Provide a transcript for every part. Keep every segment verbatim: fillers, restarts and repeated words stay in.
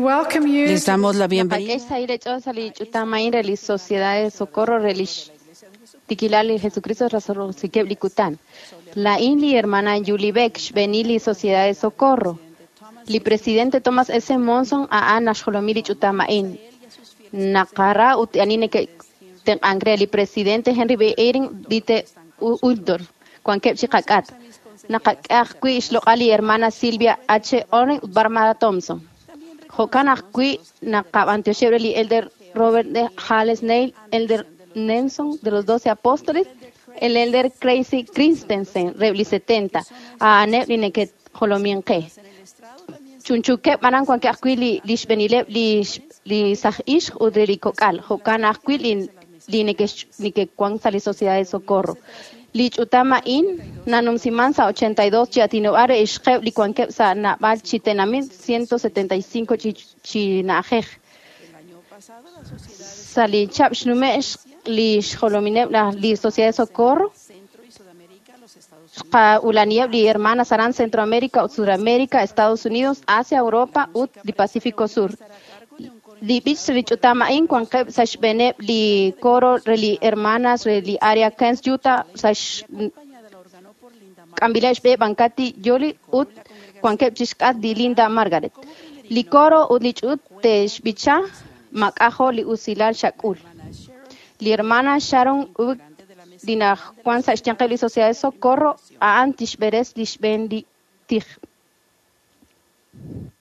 welcome you Les to damos la bienvenida. Naqak'e xsahil eech'ool sa' li ch'utam a'in re li Sociedad de Socorro re lix tikilal li Jesucristo rasoroksikeb' li kutan. Laa'in li hermana Julie Beck xb'eenil li Sociedad de Socorro. Li presidente Thomas S. Monson a'an naxjolomi li ch'utam a'in. Naqara ut ani neke'tenq'ank re li presidente Henry B. Eyring Dieter Uchtdorf wankeb' chi qak'at. Naqak'e ajwi' xloq'al li hermana Sylvia H. Oren ut Barbara Thompson. Jo'kan ajwi' naqab'antioxeb' re li Elder Robert D. Hales Neil, Elder Nelson de los Doce Apóstoles, el Elder Crazy Christensen re li setenta, a'aneb' li neke'jolomin qe. Chunchukeb' aran wankeb' ajwi' li li xb'eenileb' li li saj ixq ut re li kok'al. Jo'kan ajwi' li li neke'wan sa' li Sociedad de Socorro. Li ch'utam a'in nanumsiman sa' ochenta y dos chi atinob'al re ixqeb' li wankeb' sa' nab'al chi tenamit ciento setenta y cinco chi chi na'ajej. Sa' li chab' xnume' li xjolomineb' li Sociedad de Socorro xqa'ulaniheb' li hermanas aran Centroamérica ut Sudamérica, Estados Unidos, Asia, Europa ut li Pacífico Sur. Li b'ich li ch'utam a'in wankeb' sa' xb'eeneb' li coro re li hermanas re li área Kansas, Utah, sa' xk'ambileb' xb'e Bancati Yoli ut wankeb' chi xk'at li Linda Margaret. Li coro ut li ch'ut te'xb'icha mak'ajo' li usilal xak'ul. Li hermana Sharon Uck li najwan sa' xyanqeb' li Sociedad de Socorro a'an tixb'eres li xb'een li tij. Thank you.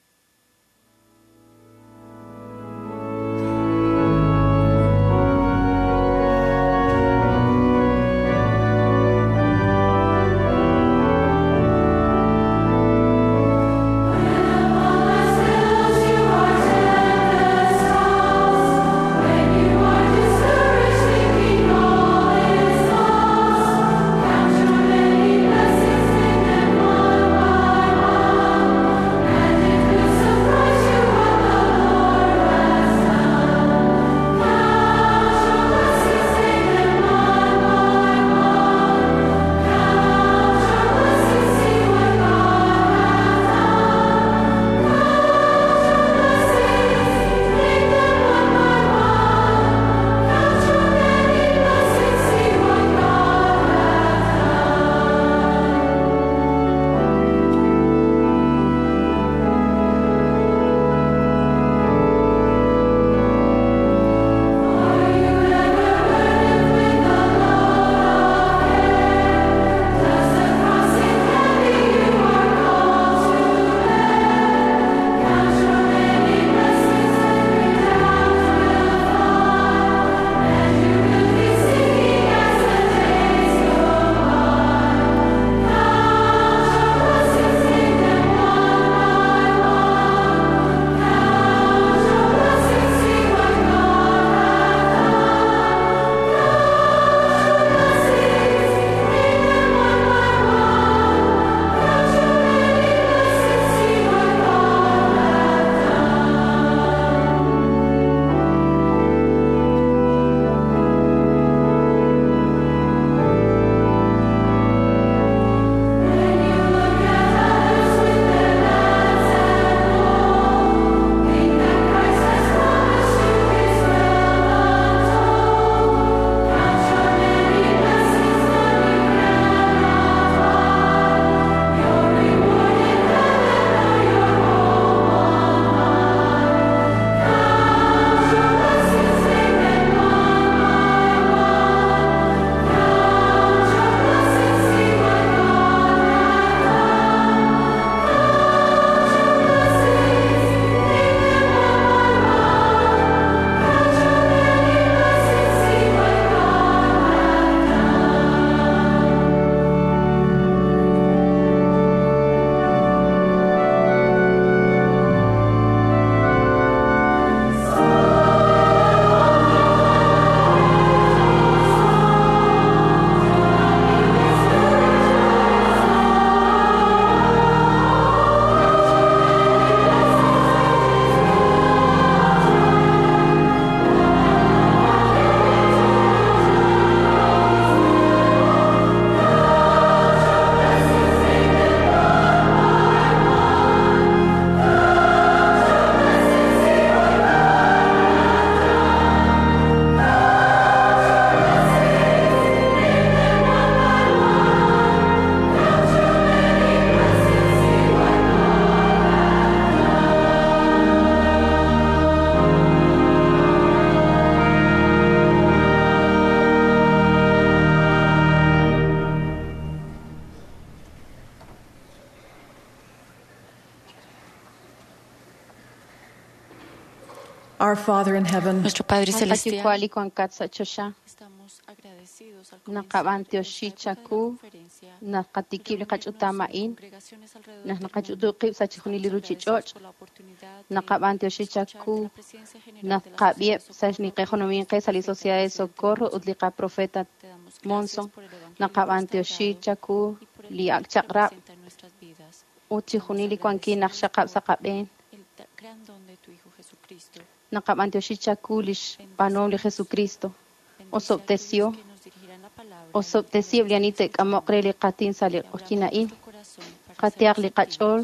Our Father in heaven, Nuestro Padre Qayuwa' Celestial, li wankat sa' choxa estamos agradecidos al comenzar naqab'antioxi esta época de la chaku conferencia naqatikib' li reunirnos qach'utam en a'in congregaciones alrededor naq del naqach'utu mundo. qib' sa' chixjunil li Estamos agradecidos ruchich'och' por la oportunidad de naqab'antioxi escuchar de chaku la presidencia general de la Sociedad de naqab'ieb' sa' Socorro y xniqejolomin nuestro qe sa' li profeta Sociedad de presidente Socorro ut Monson. li qaprofeta Te damos gracias Monson por el Evangelio naqab'antioxi restaurado chaku y por el li amor ak' que chaq'rab' representa en nuestras vidas. ut Estamos chixjunil li wankil naq agradecidos xaqab' sa' por qab'een el da- gran don de tu Hijo Jesucristo. naqab'antioxi chaku li xb'aanuhom li Jesucristo Bendice a osob'tesio aquellos que nos dirigirán la palabra en el día osob'tesiheb' de li ani esta te'k'amoq re li qatin sa' li Te abramos q'ojyin a'in nuestro corazón para ser qatehaq li receptivos. qach'ool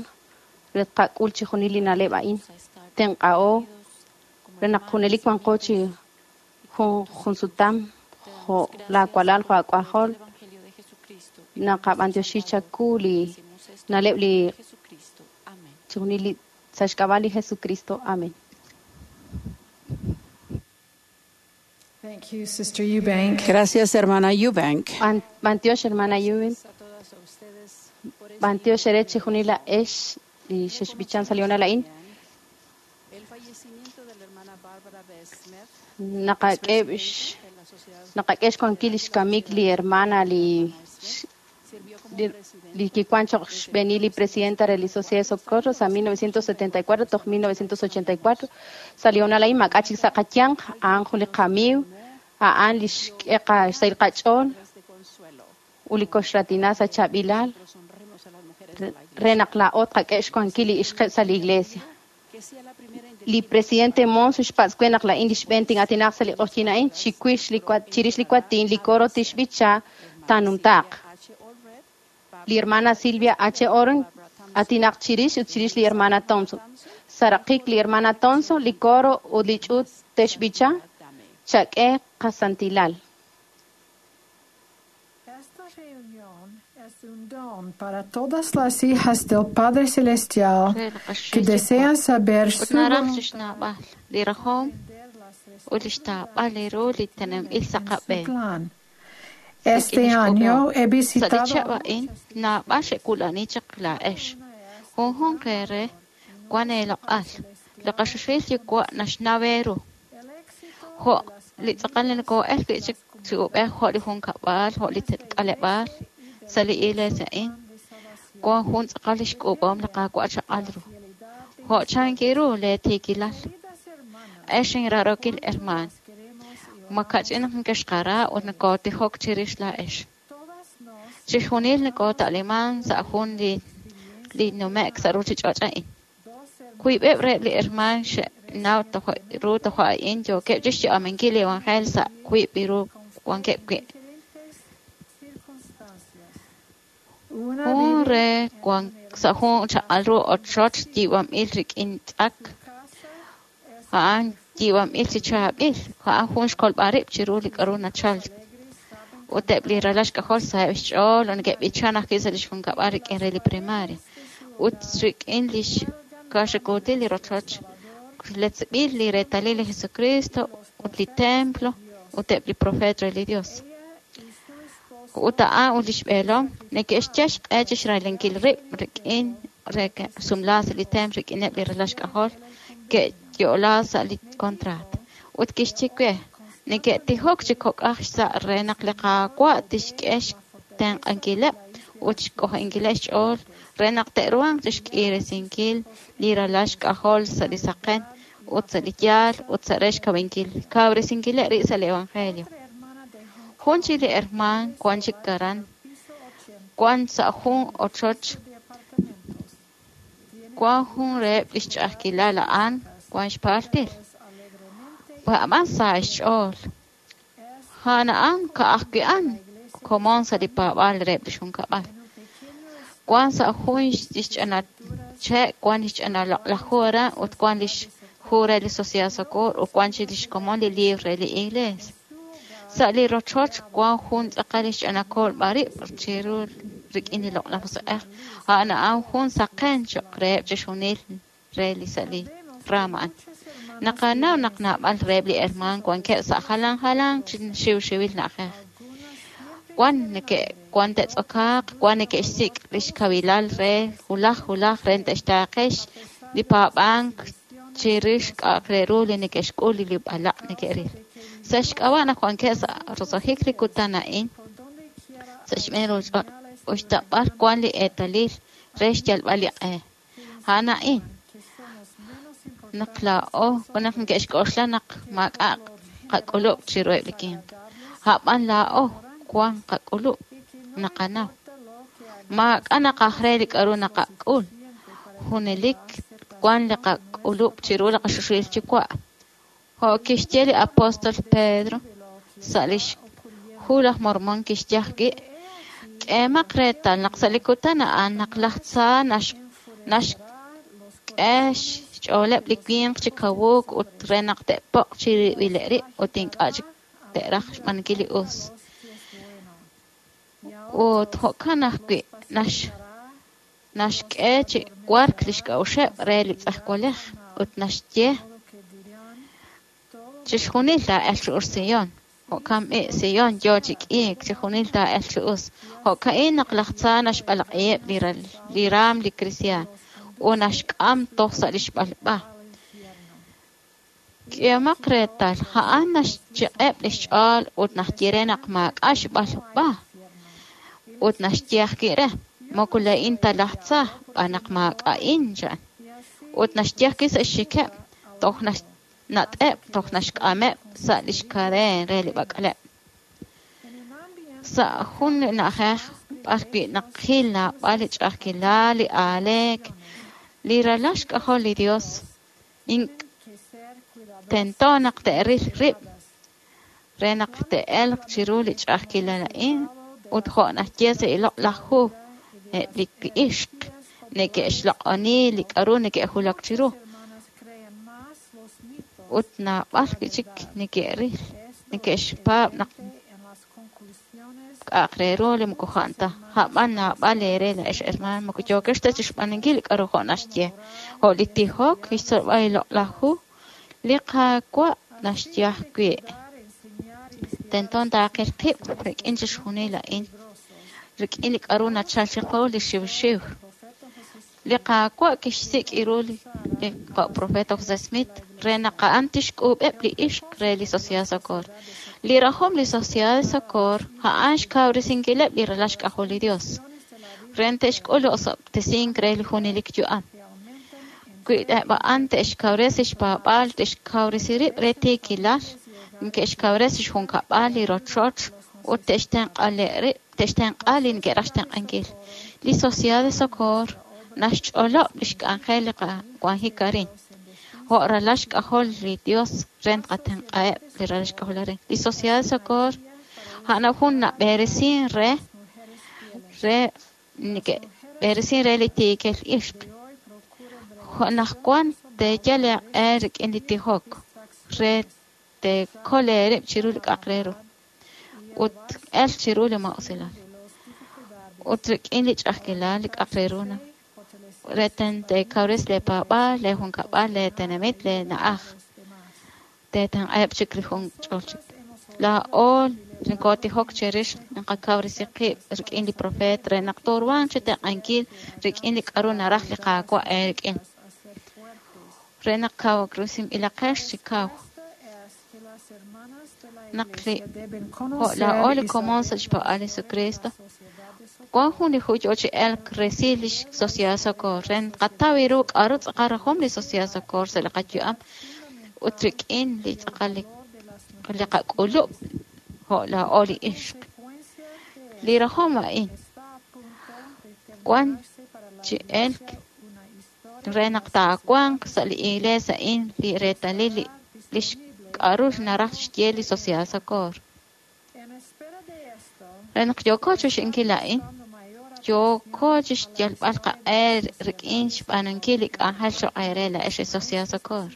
re tqak'ul chixjunil li na'leb' a'in Ayúdanos a estar tenq'a'o unidos como re naq hermanos junelik y wanqo chi amigos y como jun tus hijos. junsutam Te damos jo' gracias laawalal por jo' el poder aak'ajol del Evangelio de Jesucristo y por nuestro naqab'antioxi Salvador. chaku li Decimos esto en el na'leb' li nombre de Jesucristo. Amén. chixjunil li sa' xk'ab'a' li Jesucristo amén thank you, Sister Eubank. Gracias, hermana Eubank. Ban- B'antiox hermana Eubank b'antiox ere chixjunil la'ex li xexb'ichan sa' li honal a'in El fallecimiento de la hermana Barbara B. Smith, naqak'e x- en la sociedad naqak'e xwankil li xkamik li hermana li sirvió como li, presidente li kiwan choq xb'eenil li presidenta re li Sociedad de Socorro sa' mil novecientos setenta y cuatro toj mil novecientos ochenta y cuatro sa' li honal a'in mak'a chik sa' qayanq a'an jun li qamiiw a'an li xk'e qa- xsahil qach'ool de consuelo. ut li koxratina sa' chaab'ilal Nosotros honremos a las mujeres de la re naq laa'o tqak'e xwankil li ixqeb' sa' li iglesia que sea la primera en li presidente Monson xpatz' we naq la'in li xb'een tin'aatinaq sa' li q'ojyin a'in chiwix li kua- chirix li kuatin li coro tixb'icha taanumtaaq H. Allred, li hermana Silvia H. Oren atinaq chirix ut chirix li hermana Thompson saraqik li hermana Thompson li coro ut li ch'uut texb'icha chak'e qasantilal Esta reunión es un don para todas las hijas del Padre Celestial Re li que qaxil desean saber ut su naraj voluntad chixnaab'al li rajom ut li xtaab'al li ru li teneb'il sa' en su qab'een. plan. Rik'in Este li año xk'ub'om. he Sa' li visitado chihab' a'in naab'al xe'wulani chaq laa'ex. Junjun qeere wan eeloq'al. Li qaxuxil yuwa' naxnaw eeru. el éxito Jo' li tz'aqal li nokoo'el wi' chik chi ub'ej jo' li junkab'al, jo' li k'aleb'aal sa' li iglesia a'in. Wan jun tz'aqal li xk'ub'om li Qaawa' chaq'al ru. Jo' chanki ru lee tiikilal. queridas hermanas, Ex inrarokil hermaan. queremos y Makach'in naq nkexqara ut nakootijok chirix laa'ex. todas nos Chixjunil nakoota'liman sa' jun li li nume'k sa' ruchich'och' a'in. dos hermanas Wiib'eb' reheb' li hermaan xe'naw tojo' ru tojo' a'in yookeb' chixyu'aminkil li evangelio sa' wiib' li ru wankeb' wi'. diferentes circunstancias. Una Jun vive re wan sa' jun chaq'al ru ochoch yiib'anb'il rik'in tz'ak casa es a'an yiib'anb'il chi chaab'il a'an jun xkolb'al rib' chiru li k'a'ru nachal ut eb' li ralal xk'ajol saheb' xch'ool ut neke'b'ichan ajwi' sa' lix junkab'al rik'in re li primaria ut rik'in lix kaaxakuutil li rochoch letzb'il li reetalil li Jesucristo ut li templo ut eb' li profeet re li Dios ella y su esposo ut a'an ut lix b'eelom neke'xyal xq'e chixralinkil rib' rik'in re ke sumlaak sa' li templo rik'ineb' li ralal xk'ajol ke'yo'la sa' li contrato ut kixye we neke'tijok chi kok'aj xsa' re naq li Qaawa' tixk'e xtenq'ankileb' ut xk'ojo'inkileb' xch'ool re naq te'ruhanq chixk'iresinkil li ralal xk'ajol sa' li saqen ut sa' li yaal ut sa' re xkawinkil kawresinkileb' rib' sa' li evangelio otra hermana de Hong jun chik li hermaan wan chik aran piso ochenta wan sa' jun ochoch de apartamentos. Tiene wan jun reheb' lix ch'a'ajkilal a'an wan xpaaltil pues alegremente a'an sa xch'ool es a'an a'an ka'ajwi' a'an komon sa' li paab'aal reheb' lix junkab'al en un pequeño wan sa' jun lix ch'ina che' wan lix ch'ina loq'laj hu aran ut wan lix hu re li Sociedad Socorro ut wan chik lix komon li libro re li iglesia sa' li rochoch wan jun tz'aqal lix ch'ina kolb'al rib' chiru rik'in li loq'laj musiq'ej a'an a'an jun saqen choq' reheb' chixjunil re li sa' li rama a'an naqanaw naq naab'al reheb' li hermaan wankeb' sa' jalan jalan chi xiwxiwil na'ajej wan neke' wan te'tz'okaaq wan neke'xsik' lix kawilal re wulaj wulaj re te'xtaaqe li paab'ank chirix k'a'aq re ru li neke'xk'ul li b'alaq' neke'ril. Sa' xk'ab'a' naq wankeb' sa' roso'jik li kutan a'in sa' xb'een ruchich'och' uxta b'ar wan li eetalil re xyalb'al li q'e. A'an a'in naq laa'o naq neke'xk'oxla naq maak'a' qak'ulub' chiruheb' li winq. A'b'an laa'o wan qak'ulub' naqanaw. Maak'a' naqaj re li k'a'ru naqak'ul. Junelik wan li qak'ulub' chiru li qaxuxil yuwa'. Jo' kixye li apóstol Pedro sa' lix hu laj Mormón kixye ajwi', k'eemaq reetal naq sa' li kutan a'an naq laj tza naxk'e xch'ooleb' li winq chi kawuk ut re naq te'poq' chirib'ileb' rib' ut ink'a' chik te'raj xb'aanunkil li us. Ut jo'kan ajwi' naxk'e chi wark lix k'a'uxeb' re li tz'ejwalej ut naxye chixjunil taa'elq chi us Sion. Jo'kan b'i' Sion yoo chi k'iik, chixjunil taa'elq chi us. Jo'ka'in naq laj tza naxb'alaq'iheb' li raam li kristiaan ut naxk'am toj sa' lix b'alb'a. K'ehomaq reetal, a'an naxchiq'eb' lix ch'ool ut naxye re naq maak'a' xb'alb'a ut naxye ajwi' re, moko laa'in ta laj tza, b'an naq maak'a'in chan. Ut naxye ajwi' sa' xxikeb', toj nat'eb' toj naxk'ameb' sa' lix kadeen re li b'ak'leb'. Sa' jun li na'ajej b'ar wi' naqil naab'al li ch'a'ajkilal, li aaleek, li ralal xk'ajol li Dios, tento naq te'ril rib' re naq te'elq chiru li ch'a'ajkilal a'in ut jo' naxye sa' li loq'laj hu eb' li ixq neke'xloq'oni li k'a'ru neke'wulak chiru ut naab'al wi' chik neke'ril neke'xpaab' naq k'a'aq re ru li moko jo'an ta. A'b'an naab'al eere laa'ex hermaan moko yookex ta chixb'aanunkil li k'a'ru jo' naxye. Jo' li tijok, li xtzolb'al li loq'laj hu, li Qaawa' naxye ajwi'. Tento taaqil qib' rik'in chixjunil a'in, rik'in li k'a'ru nachal chiqu li xiwxiw. Li Qaawa' kixsik' ru li profeta José Smith re naq a'an tixk'uub'eb' li ixq re li Sociedad Socorro. Li rajom li Sociedad Socorro a'an xkawresinkileb' li ralal xk'ajol li Dios re te'xk'ul li osob'tesink re li junelik yu'am. Wi eb' a'an te'xkawresi xpaab'aal, te'xkawresi rib' re tiikilal, neke'xkawresi xjunkab'al li rochoch ut te'xtenq'a rib' te'xtenq'a li neke'raj xtenq'ankil. Li Sociedad de Socorro naxch'olob' lix k'anjel li qawanjik arin. Jo' ralal xk'ajol li Dios re naqatenq'aheb' li ralal xk'ajol arin. Li Sociedad de Socorro a'an jun nab'eresin re re neke'b'eresin re li tiikil ixq. Jo' naq wan teeyal eeq'e rik'in li tijok re teekol eerib' chiru li k'a'aq re ru ut elk chiru li maa'usilal. Ut rik'in li ch'a'ajkilal li k'a'aq re ru na re teekawresi lee paab'aal, lee junkab'al, lee tenamit, lee na'aj. Teetenq'aheb' chik li jun ch'ol chik. Laa'o nokotijok chirix naqakawresi qib' rik'in li profeet re naq tooruhanq chi tenq'ankil rik'in li k'a'ru naraj li Qaawa' eerik'in. Re naq kawresinb'ilaqex chi kaw. Naq li jo' laa'o li komon sa' xpaab'aal li Jesucristo, wan jun li hu yoo chi elk resil li Sociedad Socorro re naqataw ru k'a'ru tz'aqal rajom li Sociedad Socorro sa' li qayu'am ut rik'in li tz'aqal li qak'ulub' jo' laa'o li ixq. Li rajom a'in wan chi elk re naq taawanq sa' li iglees a'in li reetalil li k'a'ru naraj xye li Sociedad Socorro. Re naq yooko chix'inkil a'in, yooko chixyalb'al qaq'e rik'in xb'aanunkil li k'anjel choq' eere laa'ex li Sociedad Socorro.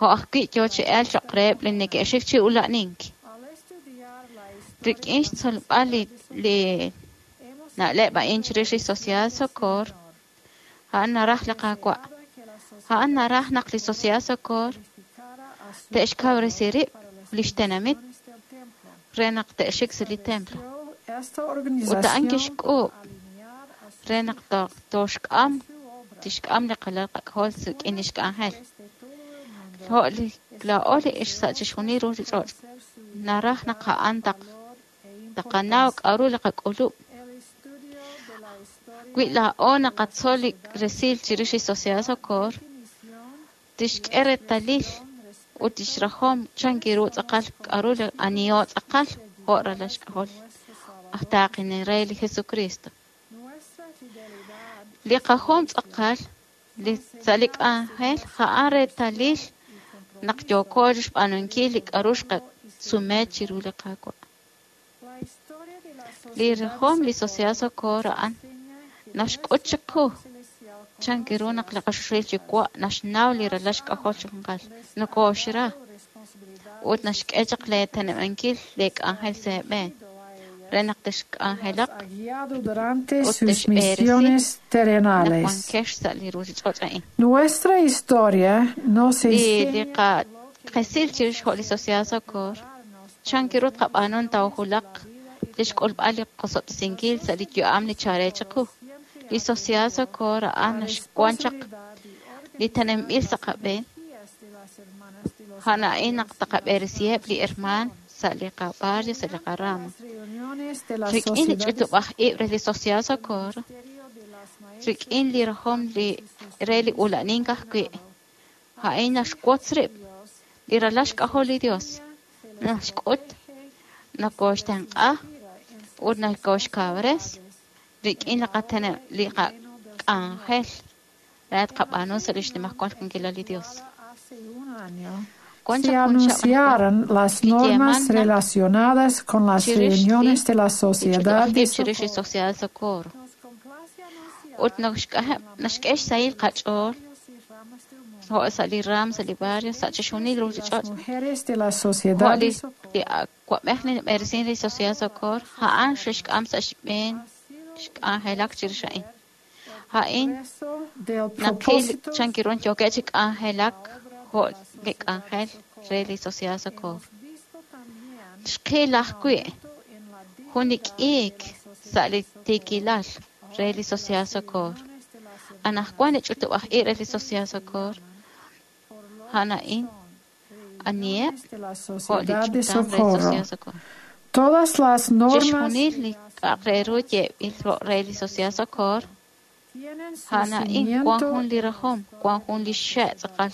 Jo' ajwi' yoo chi elk choq' reheb' li neke'xik chi ula'nink. Rik'in xtzolb'al li li na'leb' a'in chirix li Sociedad Socorro, a'an naraj li Qaawa'. A'an naraj naq li Sociedad Socorro te'xkawresi rib' lix tenamit re naq te'xik sa' li templo. Ut a'an kixk'uub' re naq toxk'am tixk'am li qalal qak'ajol rik'in lix k'anjel. Jo' li laa'o li ixq sa' chixjunil ruchich'och' naraj naq a'an taq taqanaw k'a'ru li qak'ulub'. Wi laa'o naqatzol li resil chirix li Sociedad Socorro, tixk'e reetalil ut tixrajom chan ru tz'aqal k'a'ru li aniho tz'aqal jo' ralal xk'ajol aj taaqinel re li Jesucristo. Li qajom tz'aqal li sa' li k'anjel a'an reetalil naq yooko xb'aanunkil li k'a'ru xqasume chiru li Qaawa'. Li rajom li Sociedad Socorro a'an naxk'ut chiqu chan ru naq li qaxuxil Yuwa' naxnaw li ralal xk'ajol chi junqal, nokooxra ut naxk'e chaq lee teneb'ankil lee k'anjel sa' eeb'een re naq texk'anjelaq Ha guiado durante ut sus texb'eresi misiones naq terrenales. wankex sa' li ruchich'och' a'in. Nuestra historia nos Li li enseña qakesil chirix jo' li Sociedad Socorro chan ru tqab'aanu tawjulaq li xk'ulb'al li qosob'tesinkil sa' li yu'am li chare chiqu. Li Sociedad Socorro a'an la naxwan chaq responsabilidad li teneb'il sa' qab'een a'an a'in naq taqab'eresiheb' li hermaan sa' li qabarrio, sa' li qarama. Las reuniones de la Rik'in li Sociedad de ch'utub'aj ib' re li Sociedad Socorro, rik'in li rajom li re li ula'nink ajwi', a'in naxwotz rib' li ralal xk'ajol li Dios, naxk'ut, nokoxtenq'a ut nokoxkawres rik'in li qatene- li qak'anjel re tqab'aanu sa' li xnimajwal wankilal li Dios. Hace un año Wan se chaq jun chaq anunciaron las li normas yeeman naq relacionadas con las chirix li reuniones de la li Sociedad ch'utub'aj de ib' chirix li Socorro. Sociedad Socorro. Ut naxk'e- naxk'e xsahil qach'ool jo' sa' li ram, sa' li barrio, sa' chixjunil Las ruchich'och'. mujeres de la Jo' Sociedad li de Socorro li awa'b'ej li nab'eresin li Sociedad Socorro, a'an xe'xk'am sa' xb'een xk'anjelak chirix a'in. A'in progreso del naqil propósito chan ru yookeb' chi k'anjelak jo' li k'anjel re li Sociedad Socorro. Xqil ajwi' jun li k'iik sa' li tiikilal re li Sociedad Socorro. Anaqwan li ch'utub'aj ib' re li Sociedad Socorro, a'an a'in aniheb' de la jo' li Sociedad de ch'utam re Socorro. Sociedad Socorro. Todas las normas Chixjunil li k'a'aq re ru yeeb'il jo' re li Sociedad Socorro, tienen su a'an a'in wan cimiento jun li rajom, wan jun li xe' tz'aqal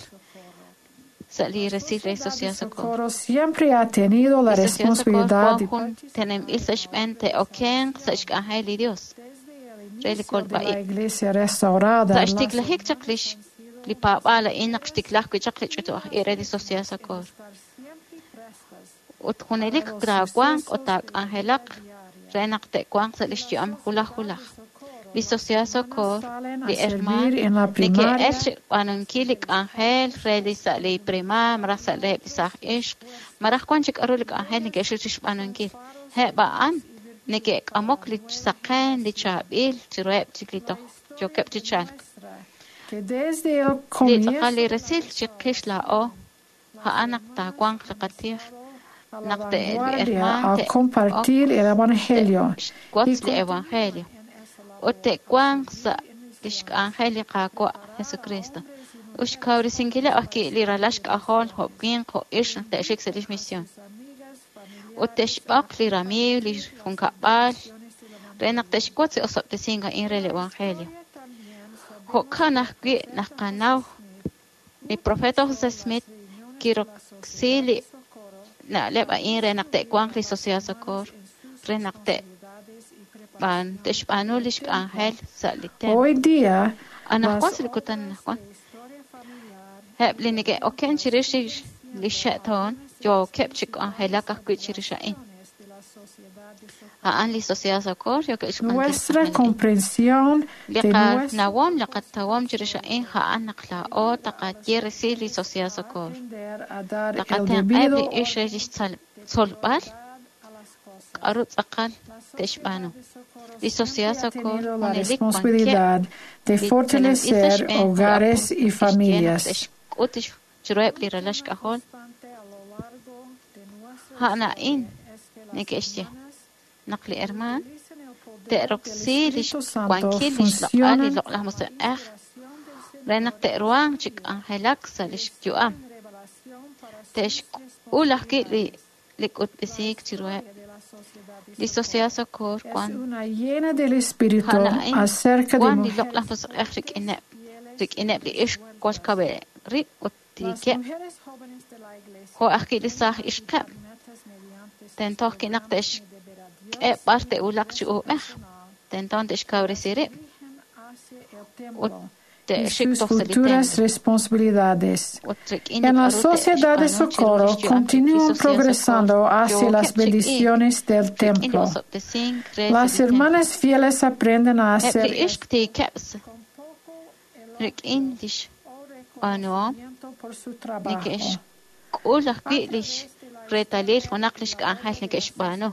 sa' li resil re de Sociedad Socorro. Socorro siempre ha tenido la Li Sociedad Socorro responsabilidad wan de jun teneb'il sa' xb'een te'okenq sa' xk'anjel li Dios re li de la kolb'a-ib'. Iglesia restaurada. Sa' en las xtiklajik chaq li li paab'aal a'in naq xtiklaj wi' chaq li ch'utub'aj ib' re li Sociedad Socorro. Ut junelik taawanq ut taak'anjelaq re naq te'wanq sa' li xyu'am julaj julaj. Li Sociedad Socorro, salen a li hermaan servir en la primaria neke'el chi b'aanunkil li k'anjel re li sa' li primaria, malaj sa' reheb' li saaj ixq, malaj wan chik k'a'ru li k'anjel neke'xik chixb'aanunkil. Eb' a'an neke'k'amok li saqen, li chaab'il chiruheb' chik li toj yookeb' chi chalk. que desde el Li comienzo tz'aqal li resil chiqix laa'o, a'an naq taawanq li qatij, a la naq te- li vanguardia hermaan al te'ok compartir el Evangelio te'xwotz li Evangelio ut te'wanq sa' lix k'anjel li Qaawa' Jesucristo. Ut xkawresinkileb' ajwi' li ralal xk'ajol jo' winq jo' ixq naq te'xik sa' lix misión. Ut te'xb'oq li ramiiw, li junkab'al, re naq te'xwotz li osob'tesink a'in re li Evangelio. Jo'kan ajwi' naq qanaw li profeta José Smith kiroksi li na'leb' a'in re naq te'wanq li Sociedad Socorro, re naq te'b'aan te'xb'aanu lix k'anjel sa' li templo. Hoy día Anaqwan sa' li kutan anaqwan, eb' li neke'oken chirix li li xe'toon yookeb' chi k'anjelak ajwi' chirix a'in. A'an li Sociedad Socorro yookeb' xb'aanunkil nuestra k'anjel a'in. comprensión Li de nuestra qanawom, li qatawom chirix a'in a'an naq laa'o taqaye resil li Sociedad Socorro. aprender a dar el Taqatenq'eb' debido li ixq re lix tzol- tzolb'al k'a'ru tz'aqal te'xb'aanu. Li Sociedad ha Socorro tenido la junelik wankeb' responsabilidad de li teneb'il sa' fortalecer xb'een hogares y jo' kixye naq familias. te'xk'ut chiruheb' li ralal xk'ajol a'an a'in neke'xye naq li hermaan te'roksi lix wankil lix loq'al li loq'laj musiq'ej re naq te'ruhanq chi k'anjelak sa' lix yu'am. Te'xk'ul ajwi' li li k'utb'esiik chiruheb'. De la Sociedad de Li Sociedad Socorro Es wan una llena del Espíritu a'an a'in acerca de wan li mujeres loq'laj musiq'ej rik'ineb' rik'ineb' li ixq wal kaweb' rib' ut Las tiikeb' mujeres jóvenes de la iglesia jo' ajwi' li saaj ixqeb' metas mediante sus tento ajwi' naq programas te'xk'e b'ar te'wulaq chi uub'ej tento te'xkawresi rib' dirigen hacia el ut templo y te'xik sus toj sa' li futuras templo responsabilidades. ut rik'in li En la k'a'ru Sociedad de te'xb'aanu chiru Socorro lix yu'am li continúan Sociedad progresando Socorro hacia las yookeb' chi k'iik bendiciones del rik'in li templo. osob'tesink re sa' Las li templo. hermanas fieles aprenden a Eb' hacer li ixq tiikeb' sa- con poco elogio rik'in lix o b'aanuhom reconocimiento por su trabajo. neke'xk'ul ajwi' lix reetalil junaq lix k'anjel neke'xb'aanu.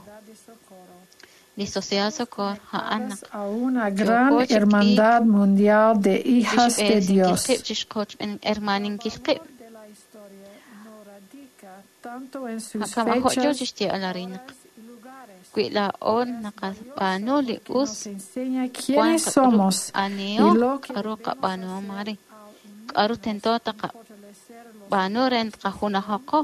Li Sociedad Socorro a'an naq A una gran yooko chi k'iik hermandad mundial de hijas de chixb'eesinkil Dios. qib' chixqochb'en hermaninkil qib'. De la historia no radica tanto en sus Kama jo' yoo fechas, chixye'al arin naq horas y lugares. wi laa'o naqab'aanu li Que us nos enseña wan quiénes qak'ulub' somos y aniho lo que k'aru debemos qab'aanuhom hacer arin al k'aru tento unirnos en taqab'aanu fortalecer los re tqajunajoqo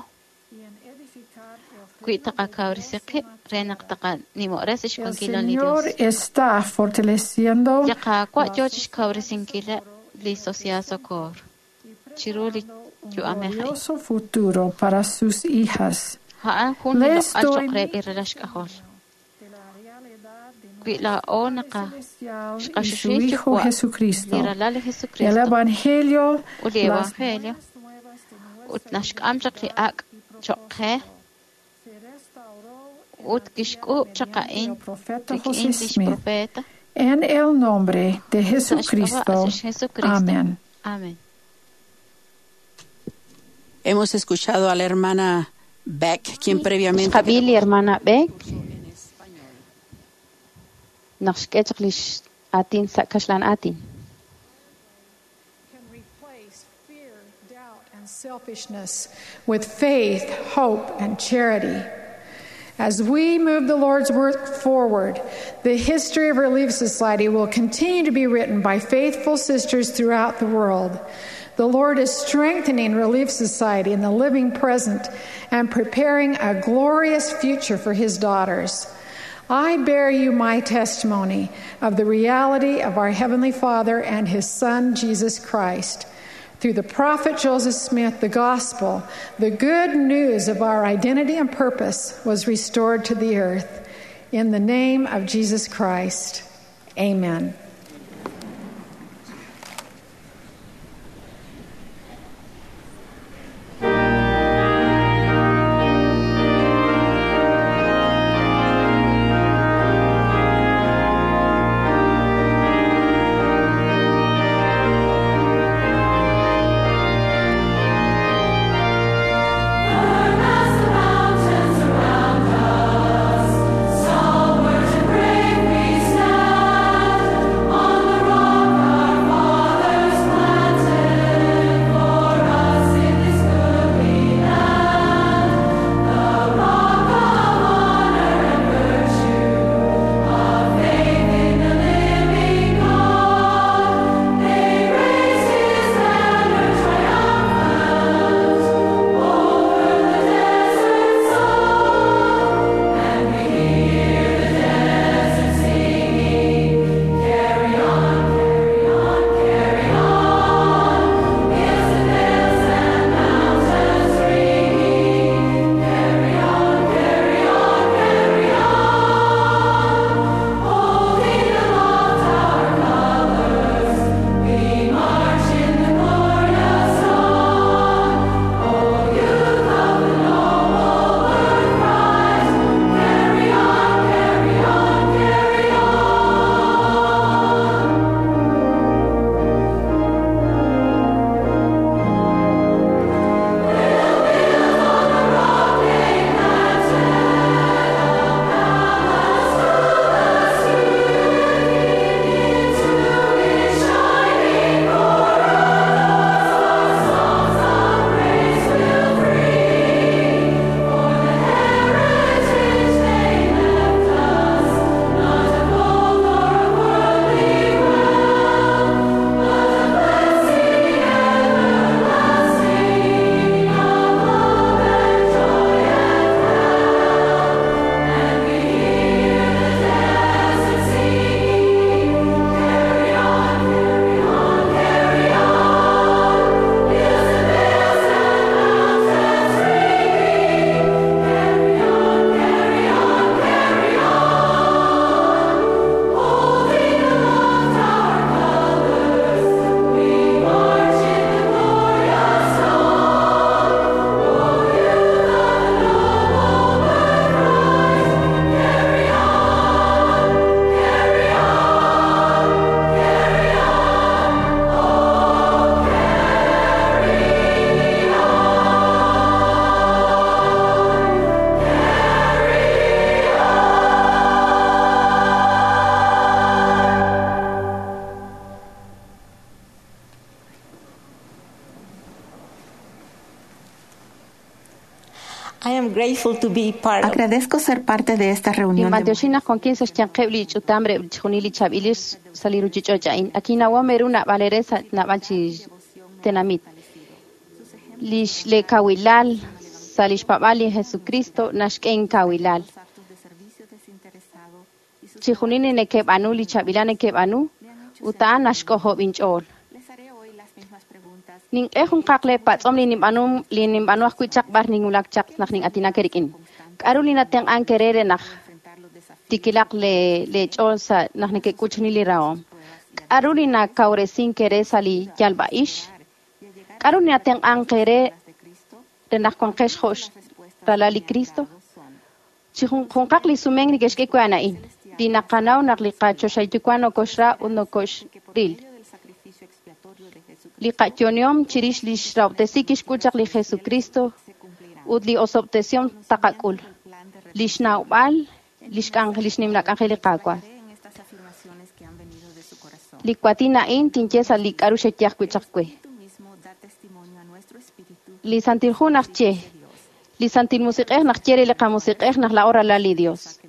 y en edificar el wi reino de taqakawresi Dios en qib' la re naq tierra. taqanimoresi El xwankilal li Señor Dios. está fortaleciendo Li Qaawa' la yoo Sociedad de chixkawresinkileb' Socorro li en el Sociedad presente Socorro y chiru li preparando un yu'amej a'in. glorioso futuro para sus hijas. A'an jun li Les loq'al doy cho'q mi reheb' li ralal xk'ajol. testimonio de la realidad de Wi nuestro laa'o Padre naqa Celestial y su xqaxuxil Hijo Yuwa' li Jesucristo. ralal li El Jesucristo Evangelio, ut li las Evangelio buenas nuevas de ut nuestra naxk'am chaq li identidad ak' y cho'q qe propósito, se restauró en ut la tierra kixk'uub' chaq mediante a'in el profeta rik'in José lix Smith. profeta En el nombre de sa' xk'ab'a' Jesucristo. sa' Jesucristo. Amén. Amén. Hemos escuchado a la hermana Beck, quien previamente Xqab'i li hermana Beck en español. naq xk'e chaq lix aatin sa' kaxlan aatin. Can replace fear, doubt, and selfishness with faith, hope, and charity. As we move the Lord's work forward, the history of Relief Society will continue to be written by faithful sisters throughout the world. The Lord is strengthening Relief Society in the living present and preparing a glorious future for His daughters. I bear you my testimony of the reality of our Heavenly Father and His Son, Jesus Christ. Through the prophet Joseph Smith, the gospel, the good news of our identity and purpose was restored to the earth. In the name of Jesus Christ, amen. Mountains around us, somewhere to break we stand. grateful to be part of Agradezco ser parte de esta reunión. de Ninb'antioxin naq wankin sa' xyanqeb' li ch'utam re chixjunil li chaab'il sa' li ruchich'och' a'in. Akinawom eru naab'al eere sa' naab'al chi tenamit. Lix le kawilal sa' lix paab'aal li Jesucristo naxk'e inkawilal. Chixjunil li neke'b'aanu li chaab'ilal neke'b'aanu ut a'an naxk'ojob' inch'ool. Nink'e junqaq le patz'om li ninb'aanu li ninb'aanu ajwi' chaq b'ar ninwulak chaq naq nin'aatinak eerik'in. K'a'ru li natenq'ank eere re naq tikilaq le le ch'ool sa' naq neke'k'ul chixjunil li rahom? K'a'ru li nakawresink eere sa' li yalb'a'ix? K'a'ru li natenq'ank eere re naq wanqex jo' ralal li Cristo? Chi junqaq li sumenk neke'xk'e we a'an a'in, li naqanaw naq li qachoxahil Yuwa' nokoxra ut nokoxril. Li qayo'onihom chirix lix rahob'tesi kixk'ul chaq li Jesucristo ut li osob'tesihom taqak'ul. Lix nawb'al lix k'anjel lix nimla k'anjel li Qaawa'. Li waatin a'in tinye sa' li k'a'ru xeye ajwi' chaq we. Li Santil Hu naxye, li Santil Musiq'ej naxye re li qamusiq'ej naq laa'o ralal li Dios.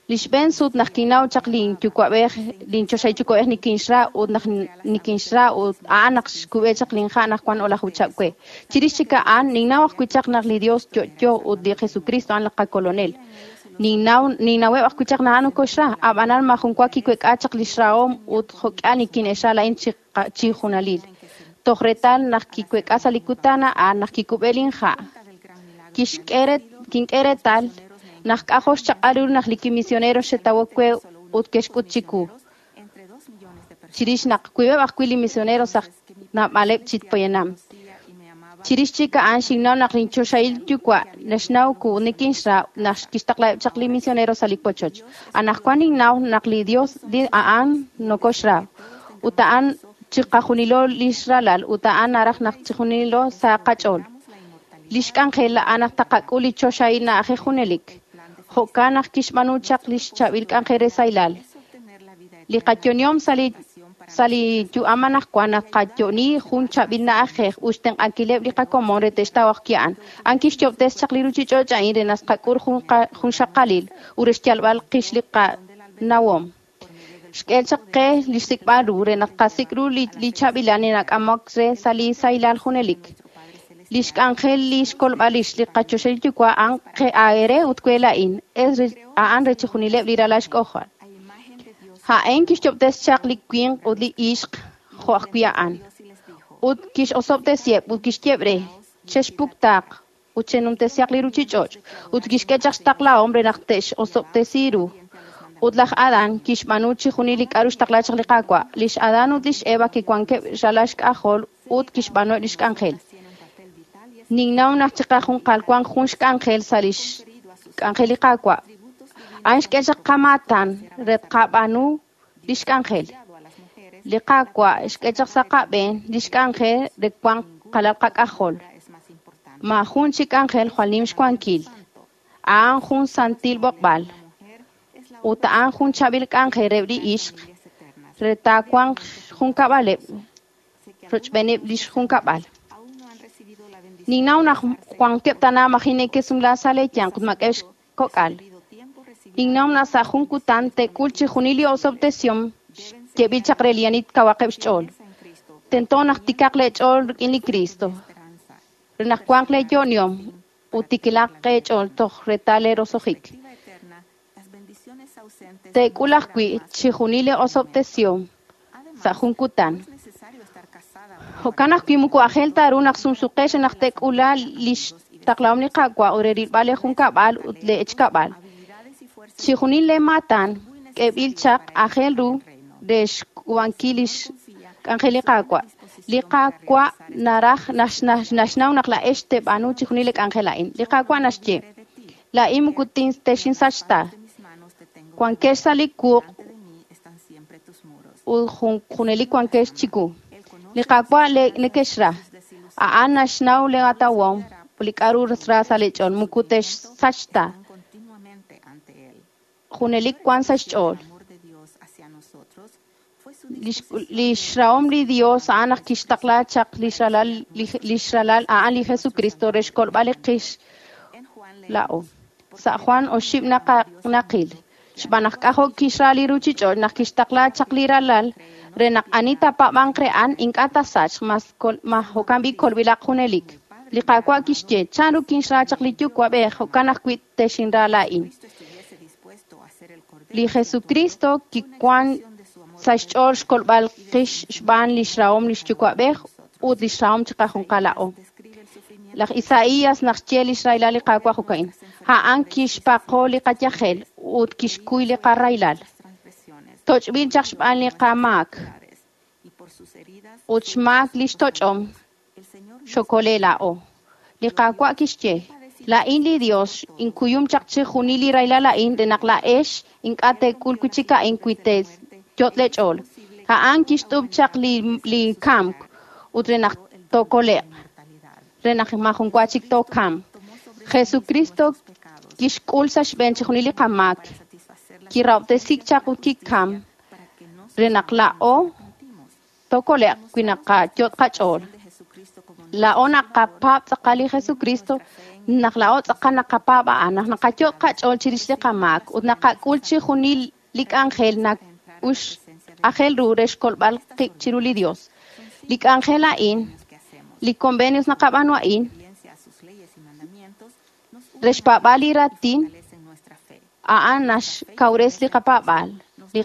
Li xb'een sut naq kinnaw chaq linyuwa'b'ej, linchoxahil yuwa'b'ej nikinxra ut naq nikinxra ut a'an naq xkub'e chaq linha' naq wan o'laju chihab' we. Chirix chik a'an ninnaw ajwi' chaq naq li Dios yo'yo ut li Jesucristo a'an li qakolonel. Ninnaw ninnaweb' ajwi' chaq naq a'an nokoxra, ab'anan majun wa kiwek'a chaq lix rahom ut jo'k'ihal nikine'xra laa'in chi chi junalil. Toj reetal naq kiwek'a sa' li kutan a'an naq kikub'e linha'. Kixk'e re kink'e reetal naq k'ajo' xchaq'al ru naq li kimisionero xetawok we ut ke'xk'ut chiwu. Chirix naq wiib'eb' ajwi' li misionero sa' naab'aleb' chi poyanam. Chirix chik a'an xinnaw naq linchoxahil Yuwa' naxnaw ku nikinxra naq kixtaqlaheb' chaq li misionero sa' li wochoch. Anaqwan ninnaw naq li Dios li a'an nokoxra ut a'an chiqajunilo lix ralal ut a'an naraj naq chijunilo sa' qach'ool. Lix k'anjel a'an naq taqak'ul li choxahil na'ajej junelik. Jo'kan naq kixb'aanu chaq lix chaab'il k'anjel re sahilal. Li qayo'onihom sa' li sa' li yu'am anaqwan naq qayo'oni jun chaab'il na'ajej ut xtenq'ankileb' li qakomon re te'xtaw ajwi' a'an. A'an kixyo'ob'tes chaq li ruchich'och' a'in re naq tqak'ul jun jun xaqalil ut re xyalb'al qix li qanawom. Xk'e chaq qe li xsik'b'al ru re naq qasik' ru li li chaab'ilal li nak'amok re sa' li sahilal junelik. Lix k'anjel li xkolb'al rix li qachoxahil Yuwa' a'an qe aere ut we laa'in, es a'an re chixjunileb' li ralal xk'ojol. A'in kixyo'ob'tes chaq li winq ut li ixq jo' ajwi' a'an. Ut kix'osob'tesiheb' ut kixyeb' re, chexpuktaq ut chenumtesihaq li ruchich'och' ut kixk'e chaq xtaqlahom re naq te'x'osob'tesi ru. Ut laj Adán kixb'aanu chixjunil li k'a'ru xtaqla chaq li Qaawa'. Lix Adán ut lix Eva kiwankeb' ralal xk'ajol ut kixb'aanueb' lix k'anjel. Ninnaw naq chiqajunqal wan jun xk'anjel sa' lix k'anjel li Qaawa'. A'an xk'e chaq qamaatan re tqab'aanu lix k'anjel. Li Qaawa' xk'e chaq sa' qab'een lix k'anjel re wanq qalal qak'ajol. Maajun chik k'anjel jwal nim xwankil. A'an jun santil b'oqb'al. Ut a'an jun chaab'il k'anjel re li ixq re taawanq junkab'aleb' rochb'eeneb' lix junkab'al. Ninnaw naq wankeb' tana maji' neke'sumla sa' leeyanq ut mak'eb' xkok'al. Ninnaw naq sa' jun kutan te'k'ul chixjunil li osob'tesihom xyeeb'il chaq re li ani kawaqeb' xch'ool. Tento naq tikaq leech'ool rik'in li Cristo, re naq wanq leeyo'onihom ut tikilaq qeech'ool toj reetal leerosojik. Te'k'ul ajwi' chixjunil li osob'tesihom sa' jun kutan. Jo'kan ajwi' moko aajel ta ru naq sumsuqex re naq te'k'ula lix taqlahom li Qaawa' ut re rilb'al leejunkab'al ut leechkab'al. Chixjunil leemaatan k'eeb'il chaq aajel ru re xk'uub'ankil lix k'anjel li Qaawa'. Li Qaawa' naraj naxnaw naq laa'ex teeb'aanu chixjunil li k'anjel a'in. Li Qaawa' naxye, laa'in moko texinsach ta. Wankex sa' li wuq' ut junelik wankex chiwu. Li Qaawa' nekexra. A'an naxnaw leeatawom li k'a'ru ra sa' leech'ool, moko texsach ta. Junelik wan sa' xch'ool. Lix rahom li Dios a'an naq kixtaqla chaq lix ralal lix ralal a'an li Jesucristo re xkolb'al li qix Laa'o. Sa' Juan oxib' naqil. Xb'aan naq k'ajo' kixra li ruuchich'och' naq kixtaqla chaq li ralal re naq ani taapaab'anq re a'an ink'a' taasachq, mas jo'kan b'i' kolb'ilaq junelik. Li Qaawa' kixye, chanru kinxra chaq li Yuwa'b'ej, jo'kan ajwi' texinra laa'in. Li Jesucristo kiwan sa' xch'ool xkolb'al qix xb'aan lix rahom lix Yuwa'b'ej ut lix rahom chiqajunqal laa'o. Laj Isaías naq xye lix rahilal li Qaawa' jo'ka'in. A'an kixpaqo li qayajel ut kixkuy li qarahilal. Toch'b'il chaq xb'aan li qamaak ut xmaak lix toch'om xokole laa'o. Li Qaawa' kixye, laa'in li Dios inkuyum chaq chixjunil li rahilal a'in re naq laa'ex ink'a' teek'ul wi' chik a'in wi teeyot' leech'ool. A'an kixt'up chaq li, li kamk ut re naq tookole'q, re naq maajun wa chik tookamq. Jesucristo kixk'ul sa' xb'een chixjunil li qamaak, kirahob'tesik chaq ut kikam re naq laa'o tookole'q wi naqayot' qach'ool. Laa'o naqapaab' tz'aqal li Jesucristo, naq laa'o tz'aqal naqapaab' a'an, naq naqayot' qach'ool chirix li qamaak ut naqak'ul chixjunil li k'anjel na'ux aajel ru re xkolb'al qib' chiru li Dios. Li k'anjel a'in, li convenios naqab'aanu a'in, re xpaab'al li raatin, a'an naxkawres li qapaab'aal, li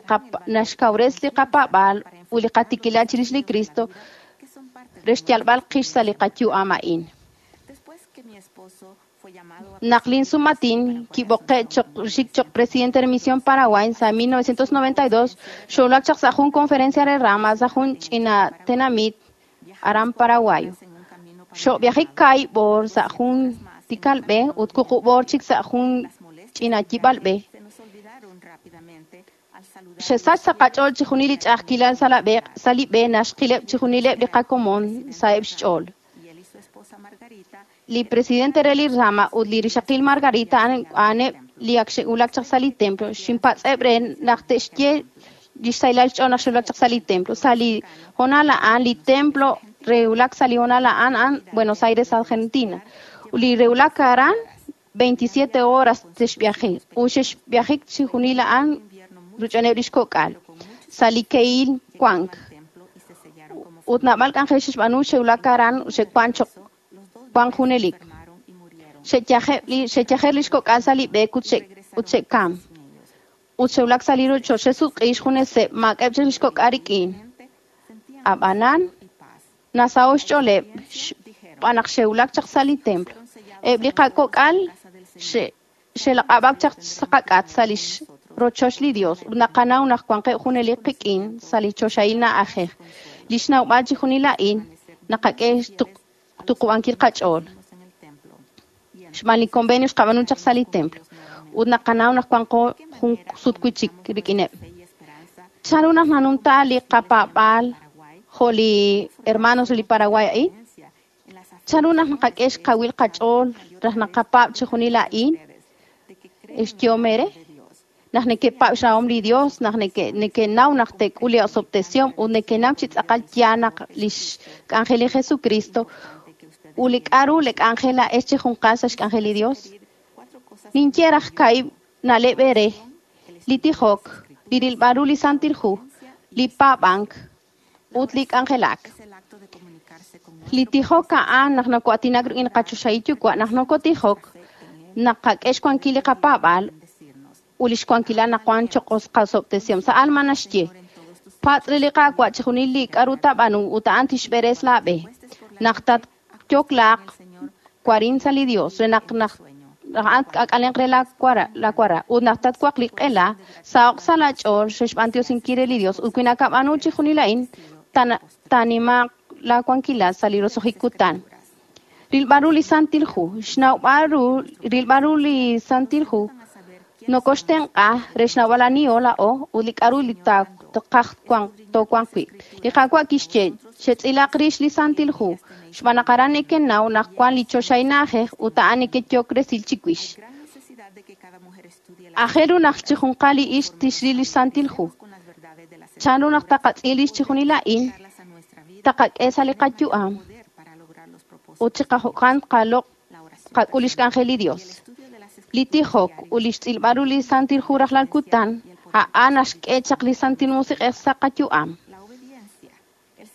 naxkawres li qapaab'aal ut li qatikilal chirix li Cristo re xyalb'al qix sa' li qayu'am a'in. Naq lin sumatin kib'oqe' xik choq presidente de Misión Paraguay sa' mil novecientos noventa y dos, xowulak chaq sa' jun conferencia re rama sa' jun ch'ina tenamit aran Paraguay. Xo'viajik kaahib' b'oor sa' jun tikal b'e ut wuqub' b'oor chik sa' jun ch'ina yib'al b'e. Xesach sa' qach'ool chixjunil li ch'a'ajkilal sa' la b'e, sa' li b'e naxqileb' chixjunileb' li qakomon sa'eb' xch'ool. Li presidente re li rama ut li rixaqil Margarita a'aneb' li ak xe'wulak chaq sa' li templo. Xinpatz'eb' re naq te'xye lix sahilal xch'ool naq xe'wulak chaq sa' li templo. Sa' li hoonal a'an, li templo rewulak sa' li hoonal a'an a'an Buenos Aires, Argentina. Ut li rewulak aran veintisiete horas texviaje. Ut xexviajik chixjunil a'an ruch'oneb' lix kok'al. Sa' li ke'il wank. Ut naab'al k'anjel xexb'aanu xe'wulak aran xe'wan choq wan junelik. Xe'yaje' li xe'yajer lix kok'al sa' li b'e ut xe ut xe'kam. Ut xe'wulak sa' li rochoch xe'sutq'i xjuneseb' maak'eb' chik lix kok'al rik'in. Ab'anan nasaho' xch'ooleb' xb'aan naq xe'wulak chaq sa' li templo. Eb' li qakok'al xe xe'laq'ab'ak chaq sa' qak'at sa' lix rochoch li Dios ut naqanaw naq wanqeb' junelik qik'in sa' li choxahil na'ajej. Lix nawb'al chixjunil a'in naqak'e xtuqub'ankil qach'ool. Xb'aan li convenio xqab'aanu chaq sa' li templo ut naqanaw naq wanqo jun sut wi' chik rik'ineb'. Chanru naq nanumta li qapaab'aal jo' li hermanos re li Paraguay a'in? Chanru naq naqak'e xkawil qach'ool raj naqapaab' chixjunil a'in? Xyehom eere? Naq nekepaab' xrahom li Dios, naq nekenaw naq teek'ul li osob'tesihom ut nekenaw chi tz'aqal yaal naq lix k'anjel li Jesucristo ut li k'a'ru li k'anjel a'ex chijunqal sa' xk'anjel li Dios. Ninye raj kaahib' na'leb' eere, li tijok, li rilb'al ru li Santil Hu, li paab'ank ut li k'anjelak. Li tijok a'an naq noko'aatinak rik'in qachoxahil Yuwa', naq nokotijok, naqak'e xwankil li qapaab'aal ut lix wankilal naq wan choq qasob'tesihom. Sa' alma naxye, patz' re li Qaawa' chixjunil li k'a'ru taab'aanu ut a'an tixb'eres laab'e. Naq tatyoklaaq warin sa' li Dios, re naq naq a'an k'ak'alenq re la wara, la wara ut naq tatwaq li q'ela, saho'q sa' laach'ool xexb'antioxinkil re li Dios ut wi nakab'aanu chixjunil a'in, taanimaaq la wankilal sa' li roso'jik kutan. Rilb'al ru li Santil Hu, xnawb'al ru, rilb'al ru li Santil Hu, nokoxtenq'a re xnawb'al aniho laa'o ut li k'a'ru li taqaj toowanq wi'. Li Qaawa' kixye, xetz'ilaq rix li Santil Hu, xb'aan naq aran nekenaw naq wan li choxahil na'ajej ut a'an nekeyok resil chiwix. Aajel ru naq chijunqal li ixq tixril li Santil Hu. Chanru naq taqatz'il rix chixjunil a'in, taqak'e sa' li qayu'am ut chiqajo'kan qaloq' qak'ul lix k'anjel li Dios. Li tijok ut li xtz'ilb'al ru li Santil Hu rajlal kutan, a'an naxk'e chaq li Santil Musiq'ej sa' qayu'am.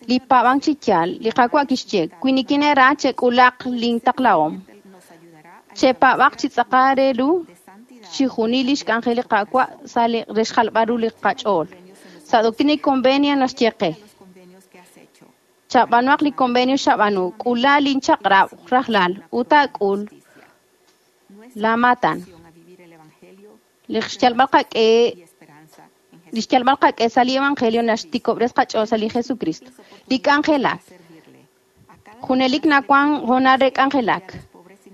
Li paab'ank chi yaal, li Qaawa' kixye, wi nikineera chek'ulaq lintaqlahom. Chepaab'aq chi tz'aqal re ru chixjunil li xk'anjel li Qaawa' sa' li re xjalb'al ru li qach'ool. Sa' Doctrina y Convenio naxye qe, chab'aanuhaq li convenio xab'aanu, k'ula linchaq'rab' rajlal ut taak'ul laamaatan. Li xyalb'al qaq'e li xyalb'al qaq'e sa' li Evangelio naxtikob'res qach'ool sa' li Jesucristo. Li k'anjelak. Junelik nawan hoonal re k'anjelak.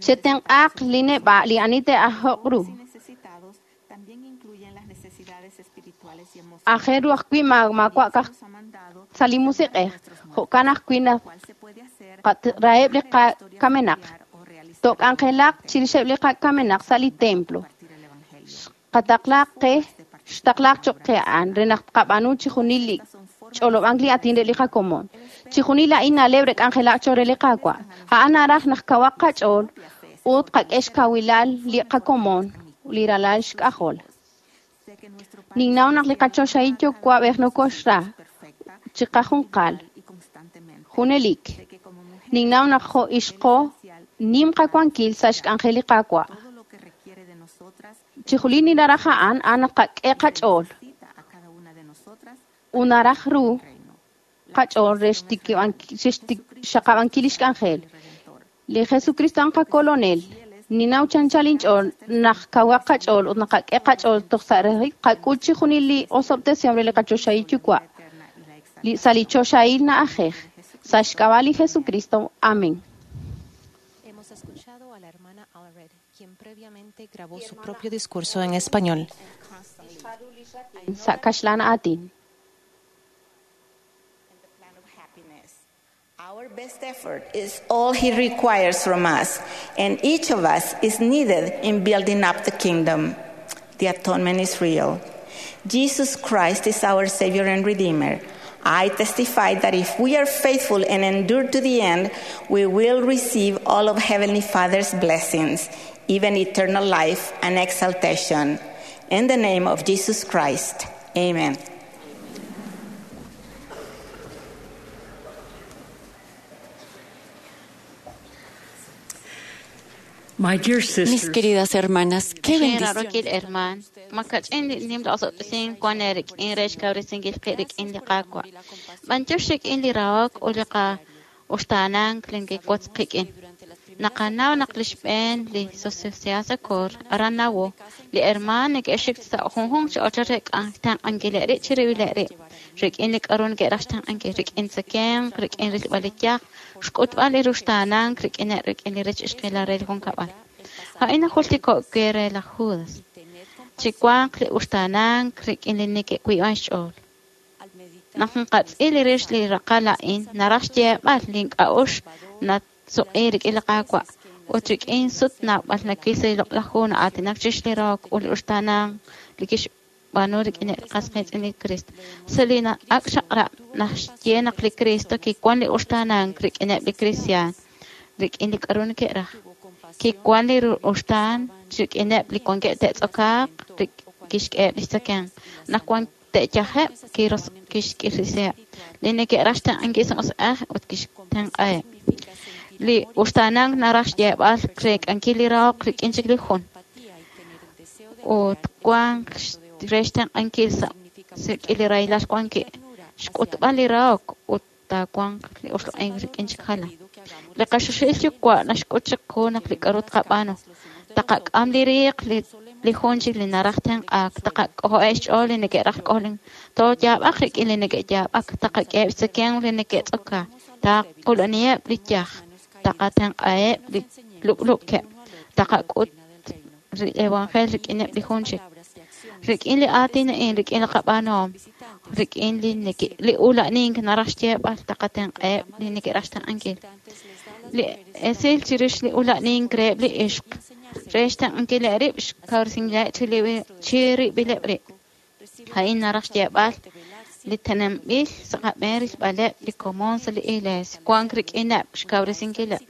Chetenq'aq li neb'a' li ani te'ajoq ru. Aajel ru ajwi' maawa' ka'aj sa' li musiq'ej, jo'kan ajwi' naq raheb' li qakamenaq. Took'anjelaq chirixeb' li qakamenaq sa' li templo. Xqataqlaq qe xtaqlaq cho'q qe a'an re naq tqab'aanu chixjunil li ch'olob'ank li aatin re li qakomon. Chixjunil a'in na'leb' re k'anjelak cho'q re li Qaawa'. A'an naraj naq kawaq qach'ool ut qak'e xkawilal li qakomon li ralal xk'ajol. Ninnaw naq li qachoxahil Yuwa'b'ej nokoxra chiqajunqal junelik. Ninnaw naq jo' ixqo nim qawankil sa' xk'anjel li Qaawa'. Chixjunil li naraj a'an a'an naq qak'e qach'ool ut naraj ru qach'ool re xxaqab'ankil li xk'anjel. Li Jesucristo a'an qakolonel. Ninnaw chanchal inch'ool naq kawaq qach'ool ut naq qak'e qach'ool toj sa' rajik qak'ul chixjunil li osob'tesihom re li qachoxahil Yuwa' li sa' li choxahil na'ajej. Sa' xk'ab'a' li Jesucristo. Amén. Hemos escuchado a la hermana Allred, quien previamente grabó su propio discurso en español. Sa' kaxlan aatin. Our best effort is all He requires from us, and each of us is needed in building up the kingdom. The atonement is real. Jesus Christ is our Savior and Redeemer. I testify that if we are faithful and endure to the end, we will receive all of Heavenly Father's blessings, even eternal life and exaltation. In the name of Jesus Christ, amen. My dear Mis sisters, queridas hermanas, qué Xin bendición. rarokil herman, makach'in li nim la'osob'tesin wan erik'in re xkawresinkil qib' rik'in li Qaawa'. B'anyox rik'in li rahok ut li qa'uxtaanank li nkiwotz qik'in. Naqanaw naq li xb'een li Sociedad Socorro aran Nawo, li hermaan neke'xik sa' junjunq chi ochoch re xtenq'ankileb' rib' chirib'ileb' rib', rik'in li k'a'ru neke'raj xtenq'ankil, rik'in tzakemq, rik'in rilb'al li yaj, xk'utb'al li ruxtaanank rik'ineb' rik'in li rech ixqilal re li junkab'al. A'in najultiko' we re laj Judas. Chiwanq li uxtaanank rik'in li neke'wiib'an xch'ool. Naq nqatz'il li rix li raqal a'in, naraj xyeeb'al li ink'a'uxl natsuq'i rik'in li Qaawa' ut rik'in sut naab'al nawil sa' li loq'laj hu na'aatinak chirix li rahok ut li uxtaanank li kixb'aanu rik'ineb' li qas qiitz'in li Cristo. Sa' li ak' chaq'rab' naxye naq li Cristo kiwan li uxtaanank rik'ineb' li kristiaan, rik'in li k'a'ru neke'raj. Kiwan li uxtaan rik'ineb' li wankeb' te'tz'okaaq, kixk'eheb' lix tzakemq. Naq wan te'yajeb', kiros- kixk'irisiheb'. Li neke'raj xtenq'ankil sa' musiq'ej ut kixtenq'aheb'. Li uxtaanank naraj xyeeb'al reek'ankil li rahok rik'in chik li jun. Ut wank re xtenq'ankil sa' rik'in li rahilal wankeb', xk'utb'al li rahok ut taawanq li oxloq'ink rik'in chik jalan. Li qaxuxil Yuwa' naxk'ut chiqu naq li k'a'ru tqab'aanu. Taqak'am li riiq li li jun chik li naraj tenq'aak, taqak'ojo'eb' xch'ool li neke'raj k'ojlink, tooyaab'aq rik'in li neke'yaab'ak, taqak'eheb' xtzakemq li neke'tz'okaak, taquluniheb' li yaj, taqatenq'aheb' li lub'lub'keb', taqak'ut li evangelio rik'ineb' li jun chik. Rik'in li aatin a'in, rik'in li qab'aanuhom, rik'in li neke- li ula'nink naraj xyeeb'al taqatenq'aheb' li neke'raj xtenq'ankil. Li esil chirix li ula'nink reheb' li ixq, re xtenq'ankileb' rib' xkawresinkileb' chirib'ileb' rib'. A'in naraj xyeeb'al li teneb'anb'il sa' qab'een rilb'aleb' li komon sa' li iglesia, wank rik'ineb' xkawresinkileb',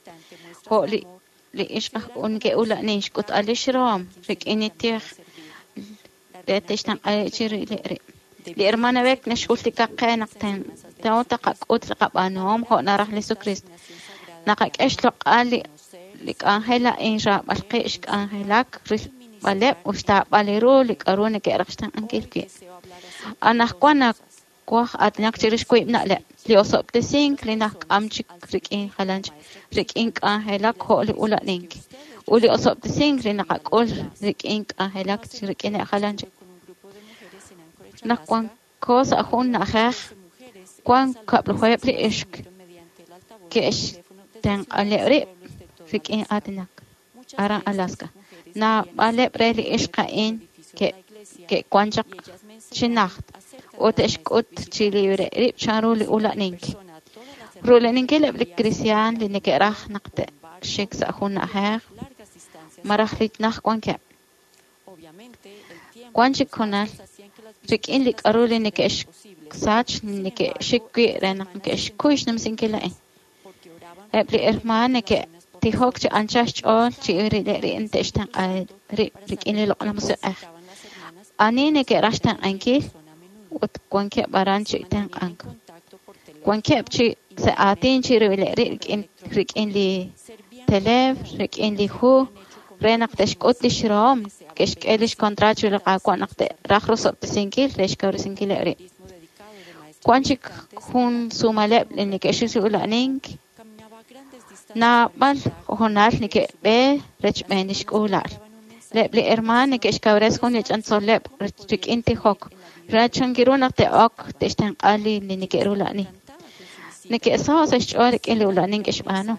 jo' li li ixq aj neke'ula'nin xk'utb'al lix rahom rik'in li tij re te'xtenq'a chirib'ileb' rib'. Li hermana Beck naxjultika qe naq tento taqak'ut li qab'aanuhom jo' naraj li Jesucristo. Naqak'e xloq'al li li k'anjel a'in xraab'al qib' xk'anjelak rilb'aleb' ut xtaab'al ru li k'a'ru neke'raj xtenq'ankil wi'. Anaqwan nawaj aatinak chirix wiib' na'leb': li osob'tesink li nak'am chik rik'in jalan chik, rik'in k'anjelak jo' li ula'nink, ut li osob'tesink li naqak'ul rik'in k'anjelak rik'in jalan chik. Naq wanko sa' jun na'ajej, wan kab'lajuheb' li ixq ke'xtenq'aleb' rib' rik'in aatinak aran Alaska. Naab'aleb' re li ixq a'in ke'wan chaq chi najt ut te'xk'ut chi rib' chanru li ula'nink. Rula'ninkileb' li kristiaan li neke'raj naq te'xik sa' jun na'ajej malaj li najt wankeb'. Wan chik hoonal rik'in li k'a'ru li neke'xsach neke'xik wi' re naq neke'xkuy xnumsinkil a'in. Eb' li hermaan neke'tijok chi anchal xch'ool chi rib' te'xtenq'a rib' rik'in li Loq'laj Musiq'ej. Ani neke'raj xtenq'ankil ut wankeb' aran chi tenq'ank. Wankeb' chi sa' aatin chi rib'ileb' rib' rik'in rik'in li teleef, rik'in li hu, re naq te'xk'ut lix rahom, ke'xk'e lix kontraat chiru li Qaawa' naq te'raj rosob'tesinkil re xkawresinkileb' rib'. Wan chik jun sumaleb' li neke'xik chi ula'nink, naab'al hoonal neke'b'e rechb'een lix k'uula'al. Eb' li hermaan neke'xkawresi jun li ch'antzoleb' rik'in tijok, re chankiru naq te'ok te'xtenq'a li neke'rula'ni. Neke'saho' sa' xch'ool rik'in li ula'nink ke'xb'aanu.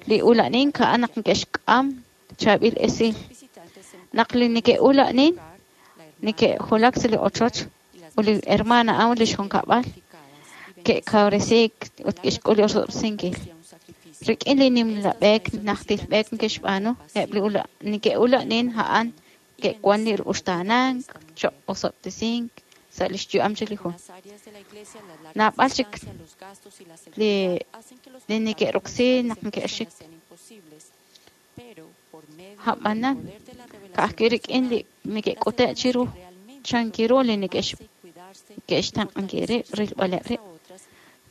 Li ula'nink a'an naq neke'xk'am chaab'il esil. Naq li neke'ula'nin neke'julak sa' li ochoch ut li hermana a'an lix junkab'al ke'kawresiik ut ke'xk'ul li osob'tesinkil. Rik'in li nimla b'eek najtil b'eek neke'xb'aanu, eb' li neke'ula'nin a'an ke'wan li uxtaanank choq' osob'tesink sa' lix yu'am chi li jun. Naab'al chik li li neke'roksi naq neke'xik. A'b'anan, ka'ajwi' rik'in li neke'k'ute' chiru chankiru li neke'xtenq'ankil rib' rilb'aleb' rib'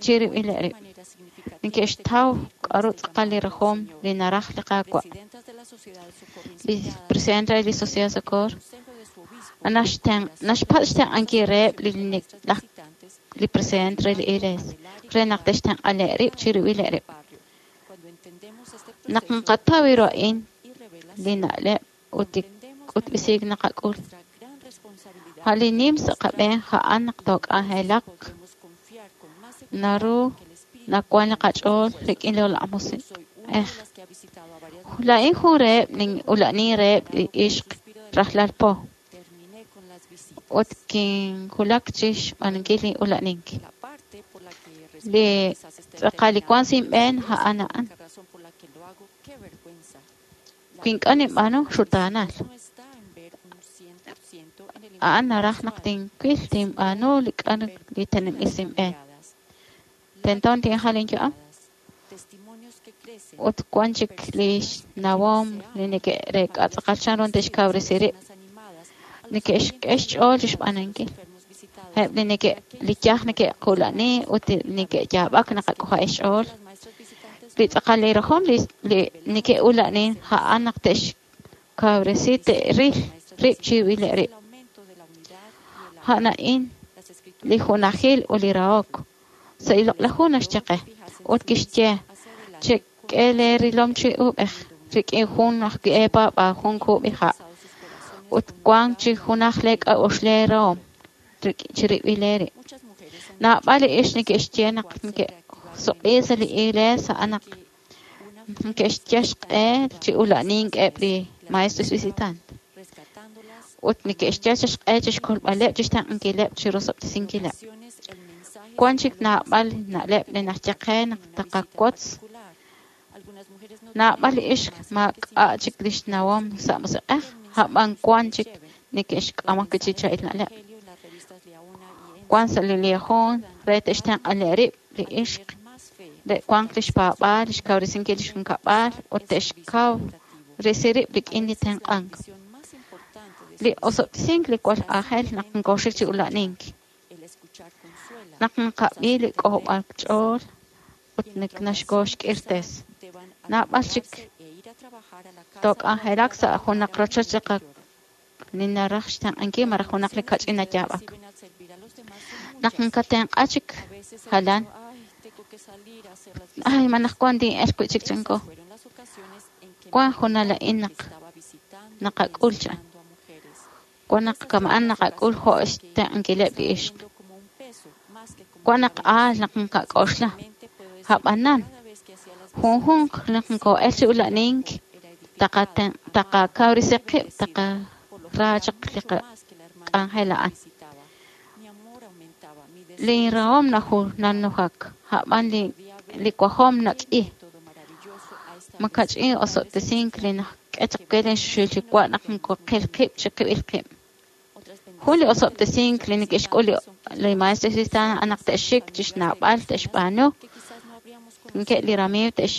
chirib'ileb' rib'. Neke'xtaw k'a'ru tz'aqal li rajom li naraj li Qaawa'. Li presidente re li Sociedad de Socorro naxpatz' xtenq'ankil reheb' li li presidente re li Iglesia re naq te'xtenq'aleb' rib' chirib'ileb' rib'. Naq naqataw ru a'in li na'leb' ut li k'utb'esiik naqak'ul, a' li nim sa' qab'een a'an naq took'anjelaq naru nawan li qach'ool rik'in li Loq'laj Musiq'ej. Laa'in jun reheb' nin'ula'nin reheb' li ixq rajlal po ut kinjulak chi xb'aanunkil li ula'nink. Li tz'aqal li wan sa' inb'een a'an a'an. Wi ink'a' ninb'aanu, xutaanal. A'an naraj naq tinwil tinb'aanu li k'a'ru li teneb'il sa' inb'een. Tento tinjal inyu'am ut wan chik li xnawom li neke'reek'a tz'aqal chanru te'xkawresi rib'. Neke'xk'e xch'ool chi xb'aanunkil. Eb' li neke' li yaj neke'qula'ni ut neke'yaab'ak naqak'ojo'eb' xch'ool. Li tz'aqal li rajom li li neke'ula'nin a'an naq te'xkawresi te'ril rib' chirib'ileb' rib'. A'an a'in li junajil ut li rahok. Sa' li Loq'laj Hu naxye qe ut kixye chek'e lee rilom chi uub'ej rik'in jun ajwi' eepaab'aal jun kub'iha' ut wank chi junaj lee k'a'uxl lee rahom chirib'il eerib'. Naab'al li ixq neke'xye naq neke'suq'i sa' li Iglesia a'an naq neke'xyal xq'e chi ula'nink eb' li maestros visitantes ut neke'xyal xq'e chixkolb'aleb' chixtenq'ankileb' chirosob'tesinkileb'. Wan chik naab'al na'leb' li naxye qe naq taqawotz. Naab'al li ixq maak'a' chik lix nawom sa' musiq'ej, a'b'an wan chik neke'xk'am ajwi' chi chaab'il na'leb'. Wan sa' li Liahona re te'xtenq'aleb' rib' li ixq Te'wanq lix paab'aal, lix kawresinkil lix junkab'al, ut te'xkaw risi rib' rik'in li tenq'ank. Li osob'tesink li jwal aajel naq nkoxik chi ula'nink. Naq nqab'i li k'ojob'al ch'ool ut naxkoxk'irtes. Naab'al chik took'anjelak sa' junaq rochoch li qa li naraj xtenq'ankil malaj junaq li kach'in nayaab'ak. Naq nkatenq'a chik jalan, ay manaq wan tin'elq wi'chik chanko. Wan junal a'in naq naqak'ul chan. Wan naq kama'an naqak'ul jo' xtenq'ankileb' li ixq. Wan naq aal naq nqak'oxla. Ab'anan, junjunq naq nko'el chi ula'nink, taqaten- taqakawresi qib', taqara chaq li qak'anjel a'an. Linrahom naju nanujak, ab'an li li wajom nak'i. Makach'in osob'tesink li nak'e chaq we lin xul yuwa' naq nkoqil qib' chiqib'il qib'. Jun li osob'tesink li neke'xk'ul li li maestro cristiano a'an naq te'xik chixnawb'al te'xb'aanu nke li ramiiw te'x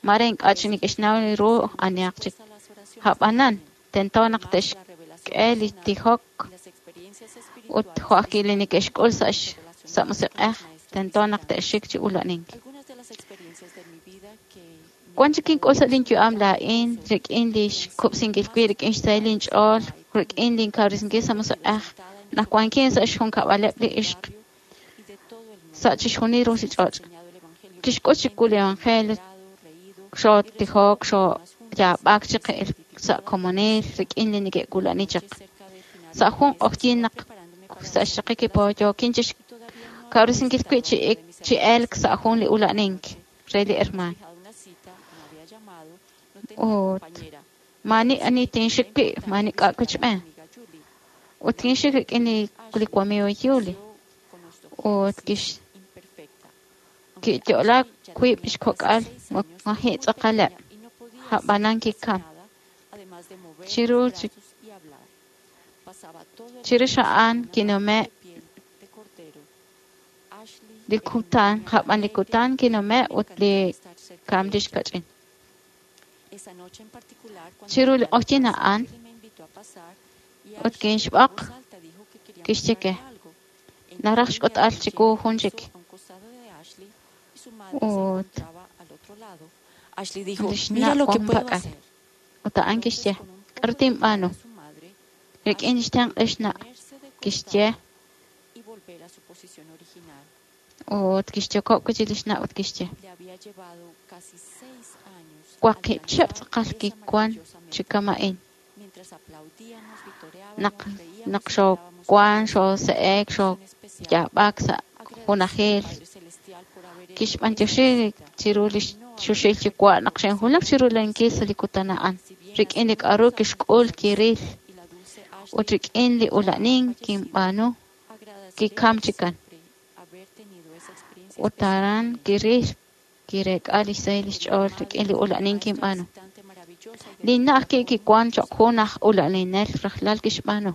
mare ink'a' chik neke'xnaw ru anihaq chik. Ab'anan, tento naq te'xk'e li tijok ut jo' ajwi' li neke'xk'ul sa' sa' musiq'ej, tento naq te'xik chi ula'nink. Wan chik kink'ul sa' linyu'am laa'in rik'in li xkub'sinkil wib', rik'in xsahil linch'ool, rik'in linkawresinkil sa' musiq'ej, naq wankin sa' xjunkab'aleb' li ixq sa' chixjunil ruchich'och'. Kixk'ut chiwu li evangelio, xootijok, xooyaab'ak chiqil sa' komonil rik'in li neke'wula'ni chaq. Sa' jun q'oqyink naq sa' xraqik li po yookin chixkawresinkil wib' chi ik chi elk sa' jun li ula'nink re li hermaan. Ut maani ani tinxik wi', maani k'a' wichb'een. Ut kinxik rik'in li li wamiiw Yuli. Ut kix kiyo'laak wiib' xkok'al maji' tz'aqaleb'. Ab'anan kikam. Chiru chi chirix a'an kinume' li kutan, ab'an li kutan kinume' ut li kam lix kach'in. Chiru li q'oqyink a'an, ut kinxb'oq kixye ke, naraj xk'utb'al chiwu jun chik. Ut Ashley dijo, lix mira na' lo que wan puedo pak'al. hacer. Ut a'an kixye, k'aru tinb'aanu? Rik'in xtenq' lix na' kixye Y volver a su posición original. ut kixyokob' wi'chik lix na' ut kixye, Le había llevado casi seis años waqib' chihab' alcanzar tz'aqal esa kiwan maravillosa chi meta. kama'in. Mientras aplaudíamos, vitoreábamos, Naq reíamos naq y xoowan, bailábamos xoose'ek, con especial, xooyaab'ak sa' agradecía al junajil. Padre Celestial por haber hecho Kixb'antioxi esa visita chiru li y no haber xuxil yuwa' naq xinjulak chiru lankil sa' li kutan a'an. Si bien Rik'in hace li k'aru muchos años kixk'ul de esa kiril visita y la dulce ut Ashley rik'in li ya había ula'nink fallecido, kinb'aanu agradeceré kikam chikan. siempre haber tenido esa experiencia Ut especial aran con ella. kiril kireek'a lix sahil lix Querida ch'ool madre, rik'in li fue una ula'nink maestra kinb'aanu. visitante maravillosa y Linna' dedicada ajwi' por kiwan muchos choq' jun años. aj ula'ninel rajlal kixb'aanu.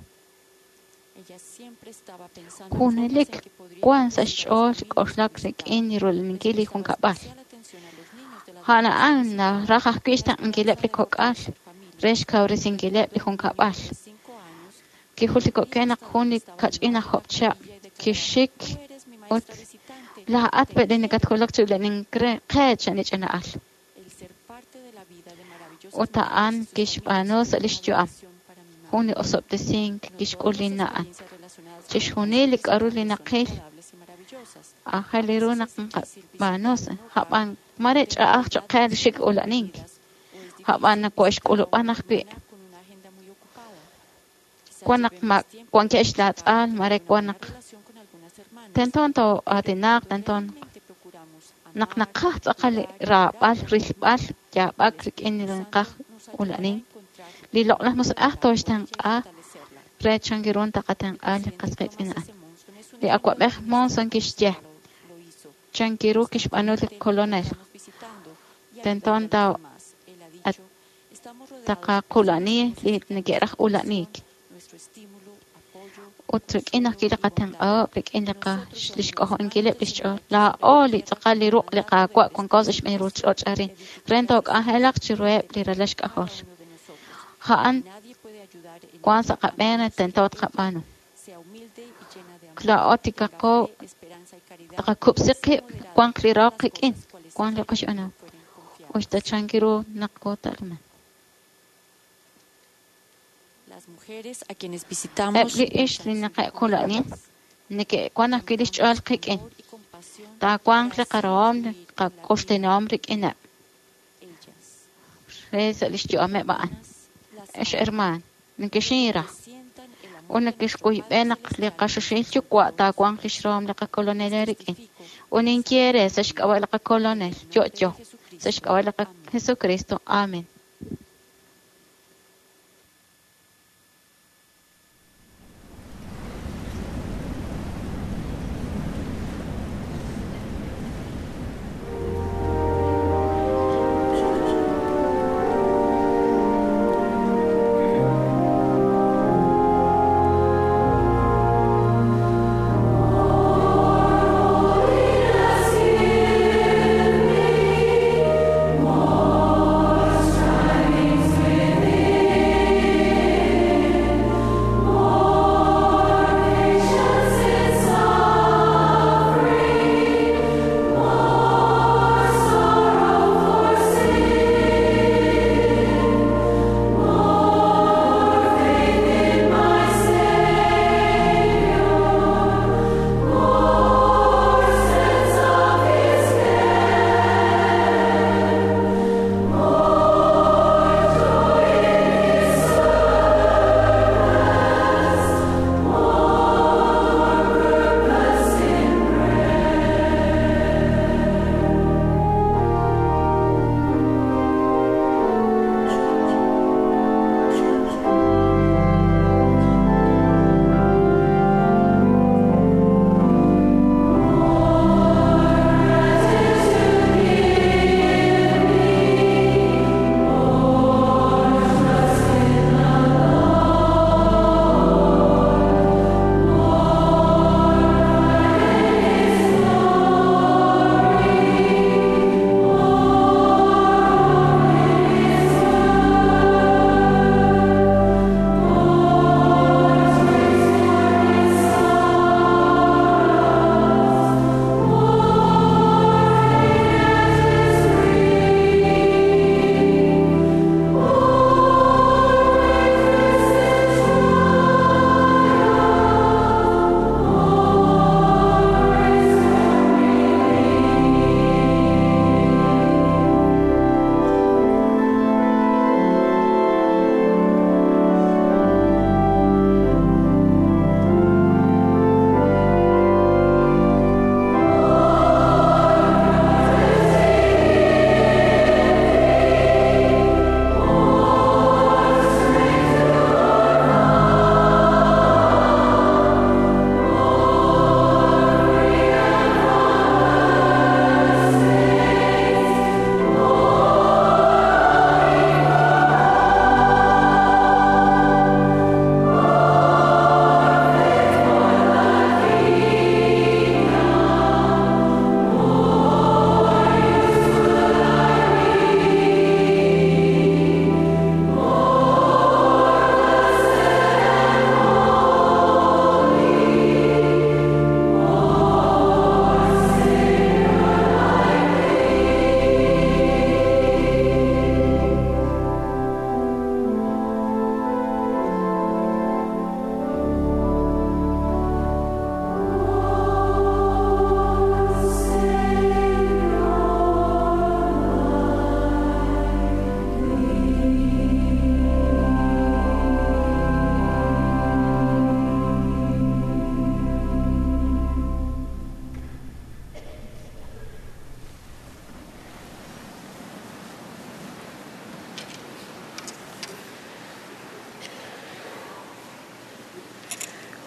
Ella siempre estaba pensando en formas Junelik en que podría wan sa' bendecir a las xch'ool familias que k'oxlak visitaba. rik'in li Les rula'ninkil li prestaba junkab'al. especial atención a los niños de las A'an mujeres a'an que naraj visitaba, ajwi' con la xtenq'ankileb' esperanza li de kok'al fortalecer familias. re xkawresinkileb' li Recuerdo que un niño junkab'al. de cinco años Kijultiko'ke corría naq hasta jun donde li estaba la kach'in madre aj de la job chihab' familia y declaraba, kixik Tú eres mi ut maestra visitante, laa'at te pe' li quiero. nakatjulak chi ula'nink re qe chan li ch'ina'al. El ser parte de la vida de maravillosas Ut a'an mujeres y sus familias kixb'aanu fue sa' lix una yu'am. bendición para mi Jun madre. li osob'tesink No kixk'ul todas las linna' a'an. experiencias relacionadas con los Chixjunil li maestros k'aru li visitantes son naqil agradables y maravillosas. aajel A ru veces naq es difícil nqab'aanu visitar sa' un hogar ab'an no mare tener ch'a'aj choq' edad qe de xik familias ula'nink. unidas o es Ab'an difícil visitar a nakoxk'ulub'an una ajwi'. hermana con una agenda muy ocupada. Quizás Wan naq llevemos ma tiempo wankeb' de participar o xlaatz'al tener mare una wan buena naq relación con algunas hermanas, tento pero too'aatinaq, cuando tento realmente procuramos naq amar, naqaj tz'aqal li cuidar y orar raab'al, por los rilb'al, hermanos, el yaab'ak rik'in Espíritu li Santo naqaj nos ayudará a ula'nink. encontrar Li loq'laj cómo musiq'ej orar por ella y tooxtenq'a fortalecerla. re chan ru taqatenq'a El li presidente qas Thomas qiitz'in a'an. S. Monson es un Li ejemplo de awa'b'ej un Monson ministro kixye como lo, lo hizo. chan ru kixb'aanu li Kolonel. Constantemente lo encontramos visitando y Tento ayudando a los tao demás. Él ha at dicho, estamos rodeados de personas taqaqula'ni que li necesitan neke'raj nuestra ula'nik. atención, nuestro estímulo, apoyo, Ut rik'in ajwi' li qatenq'ahom, rik'in li lix k'ojo'nkileb' lix ch'ool. Laa'o li tz'aqal li ruq' li Qaawa' wanko sa' xb'een ruuchich'och' arin, re took'anjelaq chiruheb' li ralal xk'ajol. A'an wan sa' qab'een tento tqab'aanu. Laa'o tikaqo tqakub'si qib', wanq li rahok qik'in, wanq li qoxb'anahom. Uxta chanki ru naq koota'luman. Eb' li ixq li naqe'kula'nin neke'wan ajwi' lix ch'ool qik'in. Taawanq li qarahom, li qak'oxtinahom rik'ineb' re sa' lix yu'ameb' a'an. Ex hermaan, nekexinra ut nekexk'uyb'e naq li qaxoxil yuwa' taawanq lix rahom li qakolonel eerik'in. Ut ninye eere sa' xk'ab'a' li qakolonel yo'yo, sa' xk'ab'a' li Jesucristo. Amen.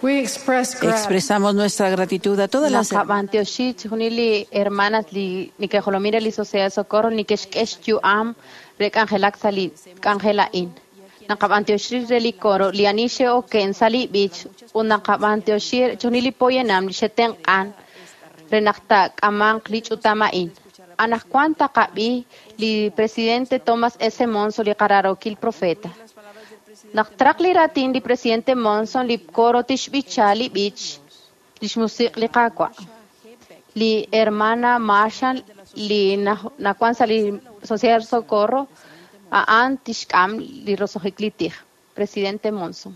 We express gratitude. Expresamos nuestra gratitud a todas las Naqab'antioxi chijunil li hermanas li nikejolomil li Sociedad de Socorro nikexk'ex yu'am re k'anjelak sa' li k'anjel a'in. Naqab'antioxi re li coro li ani xe'oken sa' li b'ich ut naqab'antioxi chixjunil li poyanam li xe'tenq'an re naq taak'amanq li ch'utam a'in. Anaqwan taqab'i li presidente Thomas S. Monson, li qararokil profeta. Naq traq li ratin li presidente Monson, li coro tixb'icha li b'ich lix musiq' li Qaawa'. Li hermana Marshall li nawan sa' li Sociedad Socorro a'an tixk'am li roso'jik li tij. Presidente Monson.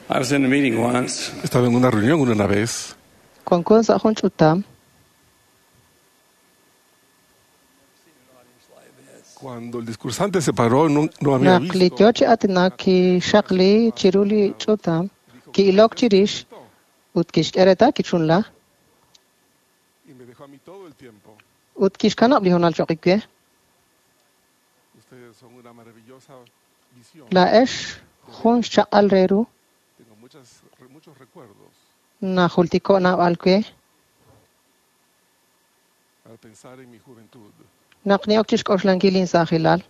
I was in a meeting once. Estaba en una reunión una vez. Wanko sa' jun ch'utam. Cuando el discursante se paró, no, no había Naq li visto. yo chi aatinak kixaqli chiru li ch'utam, ki'ilok chirix ut kixk'e reetal kichunla Y me dejó a mí todo el tiempo. ut kixkanab' li hoonal cho'q we. Ustedes son una maravillosa visión. Laa'ex jun xchaq'al re ru Tengo muchas, muchos recuerdos najultiko' naab'al we al pensar en mi juventud, naq ni'ok chixk'oxlankil insaajilal,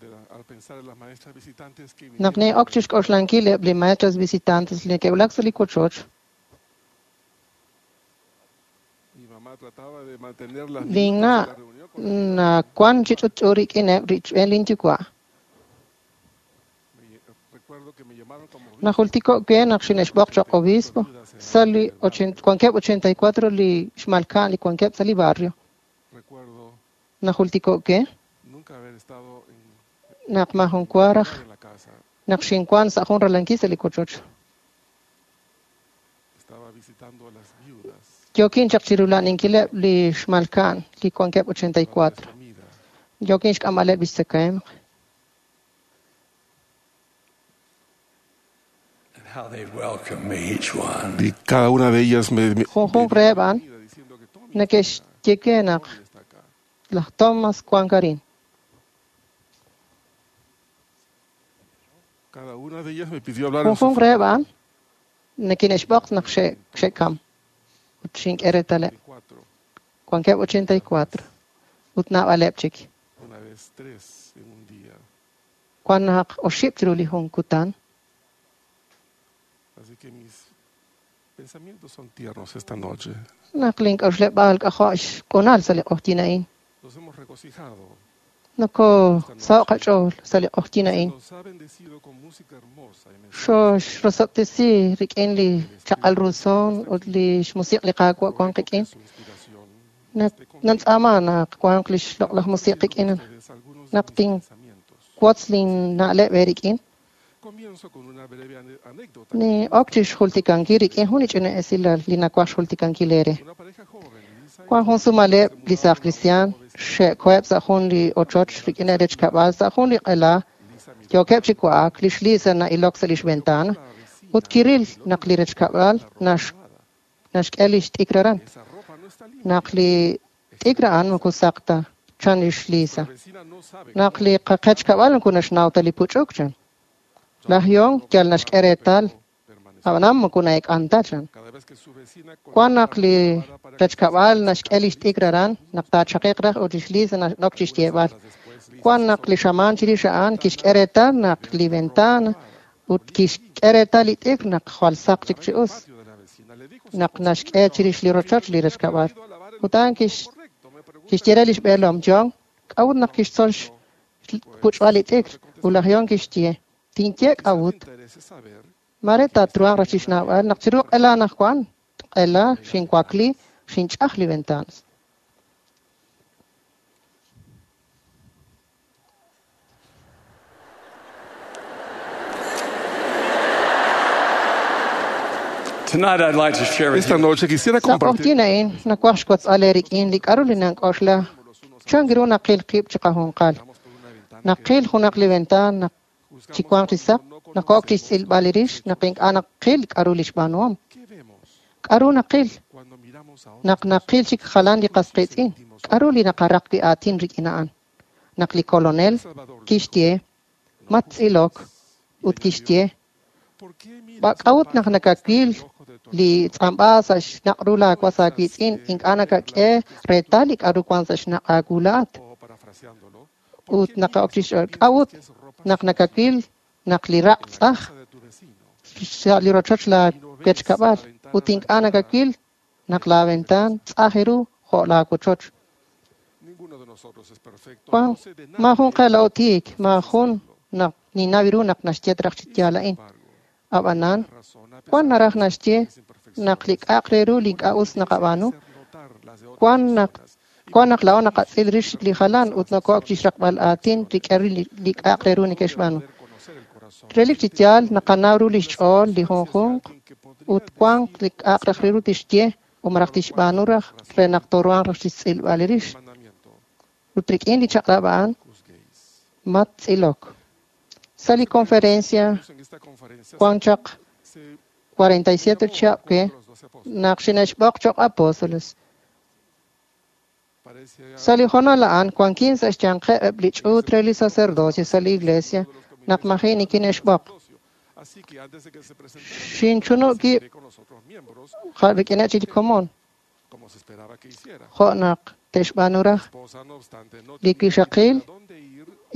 de la- al pensar en las maestras visitantes que naq vinieron ni'ok chixk'oxlankil eb' li maestras visitantes li neke'wulak sa' li wochoch, Mi mamá trataba de mantener las minutos de linna' la reunión con nawan chi ch'utch'u rik'ineb' richb'een linyuwa'. Me, recuerdo que me llamaron como obispo. Najultiko' we naq xine'xb'oq cho'q obispo sa' li ochen- wankeb' ochenta y cuatro li xmalka'n li wankeb' sa' li barrio. Recuerdo Najultiko' we nunca haber estado en, naq majun wa raj en la casa. naq xinwan sa' jun ralankil sa' li wochoch. Estaba visitando a las viudas, Yookin chaq chirula'aninkileb' li xmalka'n li wankeb' ochenta y dándoles cuatro. comida. Yookin xk'amb'aleb' lix tzakahemq. And how they welcomed me, each one. Y cada una de ellas me, me Junjunq reheb' a'an bienvenida diciendo que Tommy neke'xye we naq Tommy está acá. laj Thomas wan arin. Cada una de ellas me pidió hablar en su Junjunq reheb' a'an nekine'xb'oq naq xe- xe'kam ut xink'e reetaleb'. cuatro, Wankeb' ochenta y cuatro ut naab'aleb' chik. una vez tres en un día. Wan naq oxib' chiru li jun kutan. Así que mis pensamientos son tiernos esta noche. Naq link'a'uxleb'aal k'ajo' xq'unal sa' li q'oqyin a'in. Nos hemos regocijado. Nokosaho' qach'ool sa' li q'oqyin a'in. Nos ha bendecido con música hermosa y mensajes Xoxrosob'tesi rik'in li chaq'al ru son ut li xmusiq' li Qaawa' wan qik'in. su inspiración. Naq nantz'aama naq wanq li xloq'laj musiq' qik'in. Ustedes algunos de Naq mis tin pensamientos. wotz linna'leb' eerik'in. Comienzo con una breve ane- anécdota. Ni'ok chixjultikankil rik'in jun li ch'ina esilal li nawaj xjultikankil eere. Una pareja joven, Lisa y Wan jun sumaleb' li saaj cristian xe'koheb' sa' jun li ochoch rik'ineb' rech kab'al sa' jun li q'ela Lisa miró yookeb' chi wa'ak li xLisa na'ilok sa' lix ventana a la vecina ut kiril naq li rech kab'al nax- naxk'e lix t'ikr aran. Esa ropa no está limpia. Naq li t'ikr a'an moko saq ta chan lix Lisa. La vecina no sabe Naq li qaqech kab'al moko naxnaw ta li puch'uk chan. Laj Yon yal naxk'e reetal permanecer. ab'anan moko na'ek'an ta chan. Cada vez que su vecina Wan colocaba naq li la lavadora para que rech kab'al naxk'e lix t'ikr aran naq taachaqiq raj ut lix Lisa nanok chixyeeb'al. después Lisa Wan naq li xamaan chirix a'an kixk'e reetal naq li ventana ut kixk'e reetal li t'ikr naq jwal saq chik chi us. patio de la vecina le dijo a su Naq esposo, naxk'e chirix li rochoch li rech kab'al. "He aprendido a lavar el Ut a'an kix- correcto. Me pregunta kixye re lix b'eelom John, k'a'ut naq kixtzol xpuch'b'al li t'ikr ut laj John kixye, tinye quizá te k'a'ut interese saber mare taatruhanq raj chixnawb'al naq chiru q'ela anaqwan q'ela xinwakli xinch'aj li ventanas. Tonight I'd like to share with Esta you noche quisiera Sa' compartir q'oqyin a'in nawaj xwotz'al eerik'in li k'aru li nank'oxla chan ru naqil qib' chiqajunqal. por una ventana Naqil junaq li ventaan naq juzgamos chiwanq chi saq, cuando no naqo'ok conocemos chixtz'ilb'al li rix naq ink'a' naqil k'aru li xb'aanuhom. qué vemos K'aru naqil cuando miramos a otras naq naqil chik jalan li qas qiitz'in. K'aru li naqaraq wi' aatin rik'in a'an. Naq li kolonel Salvador kixye mattz'ilok ut kixye K'a'ut naq nakawil li tz'amb'a sa' xnaq' ru laawas aawiitz'in ink'a' nakak'e reetal li k'a'ru wank sa' xnaq' aawu laa'at? Ut naqa'ok chi xch'ool, k'a'ut naq nakawil naq li raq' tz'aj sa' li rochoch laawechkab'al ut ink'a' nakawil naq laaventaan tz'aj ru jo' laawochoch? Maajun qe laa'o tiik, maajun naq ninnaw ru naq naxye raj chi yaal a'in. Ab'anan, wan naraj naxye naq li k'a'aq re ru li ink'a' us naqab'aanu, wan naq wan naq laa'o naqatz'il rix li jalan ut noko'ok chi xraqb'al aatin rik'in li k'a'aq re ru neke'xb'aanu. Relik chi yaal naqanaw ru li xch'ool li junjunq ut wank li k'a'aq raj re ru tixye o malaj tixb'aanu raj re naq tooruhanq raj chi xtz'ilb'al rix. Ut rik'in li chaq'rab' a'an mattz'ilok. Sa' li conferencia wan chaq cuarenta y siete chihab' we naq xine'xb'oq cho'q apóstoles. Sa' li hoonal a'an wankin sa' xyanqeb' eb' li ch'uut re li sacerdocio sa' li iglesia naq maji' nikine'xb'oq. Xinchunub' wib' rik'ineb' chik li komon jo' naq te'xb'aanu raj li wixaqil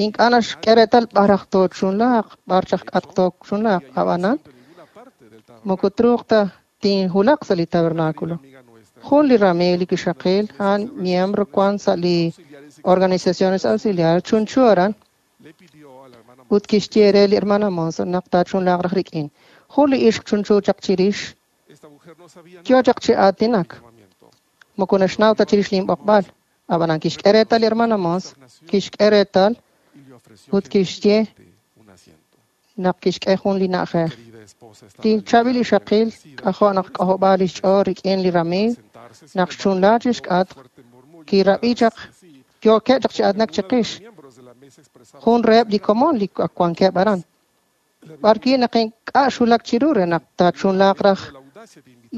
ink'a' naxk'e reetal b'ar raj toochunlaaq, b'ar chaq k'atq toochunlaaq. Ab'anan moko truuq ta tinhulaq sa' li tabernáculo. Jun li ramiiw li wixaqil a'an miembro wan sa' li organizaciones auxiliares chunchu aran ut kixye re li hermana Monson naq taachunlaaq raj rik'in. Jun li ixq chunchu chaq chirix yo chaq chi aatinak. Moko naxnaw ta chirix linb'oqb'al. Ab'anan kixk'e reetal li hermana Mons, kixk'e reetal ut kixye naq kixk'e jun li na'ajej. Li chaab'il ixaqil k'ajo' naq k'ojob'aal li xch'ool rik'in li ramiiw naq xchunla chi xk'atq kirab'i chaq yookeb' chaq chi aatinak chiqix. Jun reheb' li komon li wankeb' aran. B'arwi' naq ink'a' xwulak chiru re naq taachunlaaq raj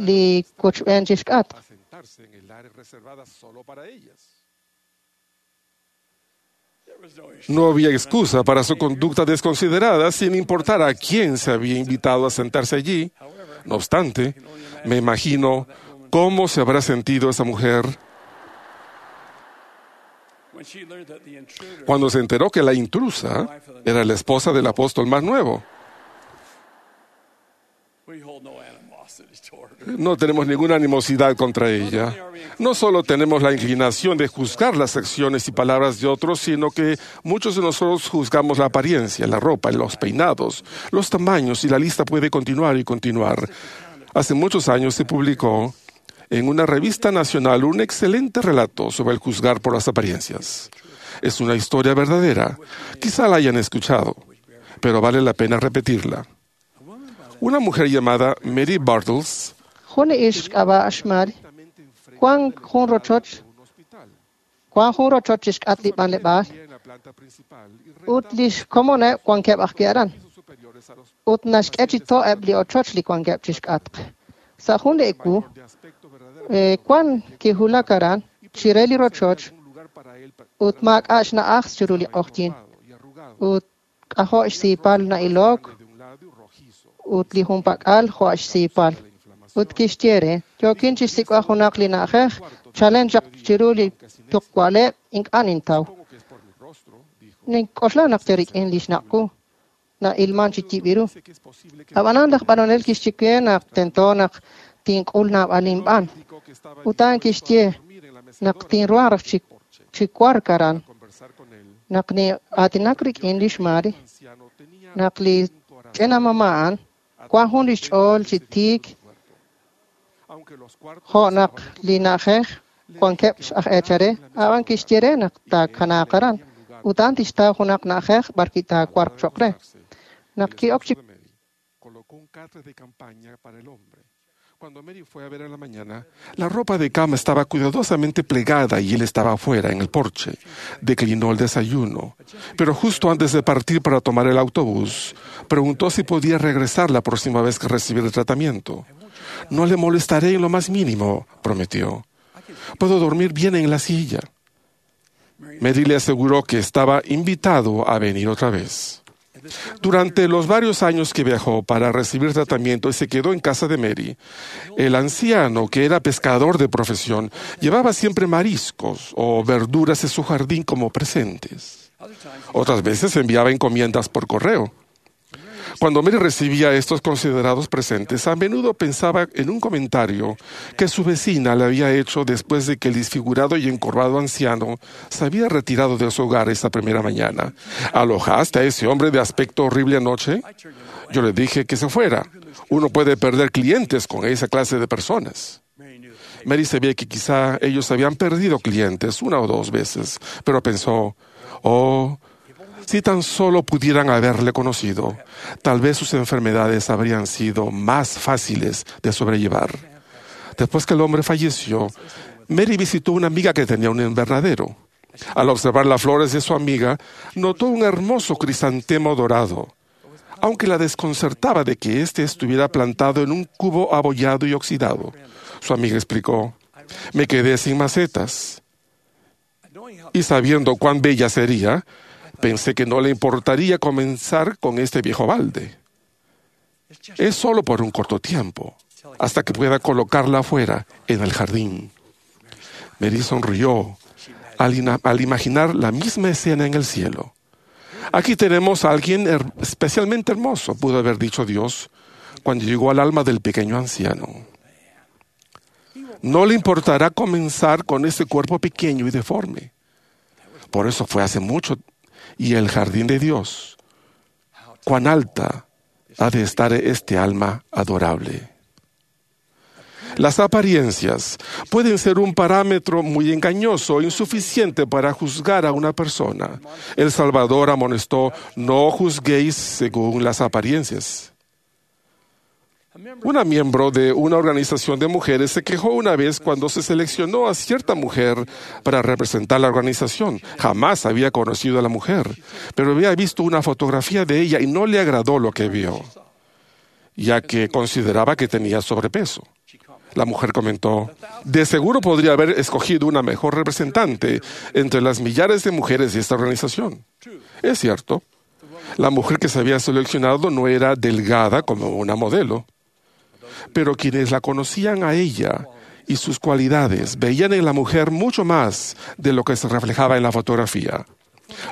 li wochb'een chi xk'atq. No había excusa para su conducta desconsiderada, sin importar a quién se había invitado a sentarse allí. No obstante, me imagino cómo se habrá sentido esa mujer cuando se enteró que la intrusa era la esposa del apóstol más nuevo. No tenemos ninguna animosidad contra ella. No solo tenemos la inclinación de juzgar las acciones y palabras de otros, sino que muchos de nosotros juzgamos la apariencia, la ropa, los peinados, los tamaños, y la lista puede continuar y continuar. Hace muchos años se publicó en una revista nacional un excelente relato sobre el juzgar por las apariencias. Es una historia verdadera. Quizá la hayan escuchado, pero vale la pena repetirla. Una mujer llamada Mary Bartles Jun ixq k'ab'a' xMary wan jun rochoch wan jun rochoch chixk'atq li b'anleb'aal ut li xkomoneb' wankeb' ajwi' aran ut naxk'e chi to' eb' li ochoch li wankeb' chixk'atq. Sa' jun li ewu wan kiwulak aran chire li rochoch ut maak'a' xna'aj chiru li q'oqyink ut k'ajo' xsiipal na'ilok ut li junpak'al jo' xsiipal. Ut kixye re, yookin chixsik'b'al junaq li na'ajej chalen chaq chiru li tuqwaleb' ink'a' nintaw. Nink'oxla naq rik'in li xnaq' wu na'ilman chi yib' ru. Ab'anan laj b'anonel kixye we naq tento naq tink'ul naab'al inb'an. Ut a'an kixye naq tinruhanq raj chi wark aran. Naq nin'aatinak rik'in li xMary, naq li ch'ina mama' a'an wan jun li xch'ool chi tiik jo' naq li na'ajej wankeb' aj eechare, ab'an kixye re naq taakanaaq aran ut a'an tixtaw junaq na'ajej b'arwi' taawarq cho'q re. Naq ki'ok chi Cuando Mary fue a ver a la mañana, la ropa de cama estaba cuidadosamente plegada y él estaba afuera, en el porche. Declinó el desayuno. Pero justo antes de partir para tomar el autobús, preguntó si podía regresar la próxima vez que recibiera el tratamiento. No le molestaré en lo más mínimo, prometió. Puedo dormir bien en la silla. Mary le aseguró que estaba invitado a venir otra vez. Durante los varios años que viajó para recibir tratamiento y se quedó en casa de Mary, el anciano, que era pescador de profesión, llevaba siempre mariscos o verduras de su jardín como presentes. Otras veces enviaba encomiendas por correo. Cuando Mary recibía estos considerados presentes, a menudo pensaba en un comentario que su vecina le había hecho después de que el disfigurado y encorvado anciano se había retirado de su hogar esa primera mañana. ¿Alojaste a ese hombre de aspecto horrible anoche? Yo le dije que se fuera. Uno puede perder clientes con esa clase de personas. Mary sabía que quizá ellos habían perdido clientes una o dos veces, pero pensó, oh, si tan solo pudieran haberle conocido, tal vez sus enfermedades habrían sido más fáciles de sobrellevar. Después que el hombre falleció, Mary visitó una amiga que tenía un invernadero. Al observar las flores de su amiga, notó un hermoso crisantemo dorado, aunque la desconcertaba de que éste estuviera plantado en un cubo abollado y oxidado. Su amiga explicó, me quedé sin macetas. Y sabiendo cuán bella sería, pensé que no le importaría comenzar con este viejo balde. Es solo por un corto tiempo, hasta que pueda colocarla afuera, en el jardín. Mary sonrió al, al imaginar la misma escena en el cielo. Aquí tenemos a alguien her- especialmente hermoso, pudo haber dicho Dios, cuando llegó al alma del pequeño anciano. No le importará comenzar con ese cuerpo pequeño y deforme. Por eso fue hace mucho. Y el jardín de Dios, cuán alta ha de estar este alma adorable. Las apariencias pueden ser un parámetro muy engañoso e insuficiente para juzgar a una persona. El Salvador amonestó, no juzguéis según las apariencias. Una miembro de una organización de mujeres se quejó una vez cuando se seleccionó a cierta mujer para representar la organización. Jamás había conocido a la mujer, pero había visto una fotografía de ella y no le agradó lo que vio, ya que consideraba que tenía sobrepeso. La mujer comentó, de seguro podría haber escogido una mejor representante entre las millares de mujeres de esta organización. Es cierto, la mujer que se había seleccionado no era delgada como una modelo, pero quienes la conocían a ella y sus cualidades veían en la mujer mucho más de lo que se reflejaba en la fotografía.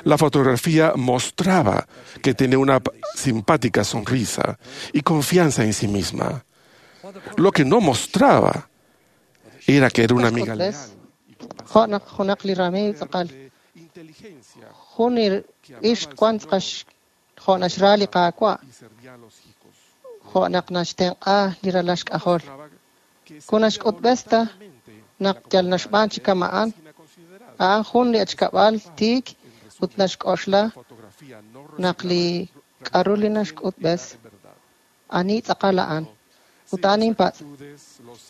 La fotografía mostraba que tenía una simpática sonrisa y confianza en sí misma. Lo que no mostraba era que era una amiga leal. Jo' naq junaq li ramiiw tz'aqal jun ixq wan tz'aqal jo' naxra li Qaawa' jo' naq naxtenq'a li ralal xk'ajol kun naxk'utb'es ta naq yal naxb'aan chi kama'an a'an jun li achkab'al tiik ut naxk'oxla naq li k'aru li naxk'utb'es ani tz'aqal a'an ut a'an inpatz'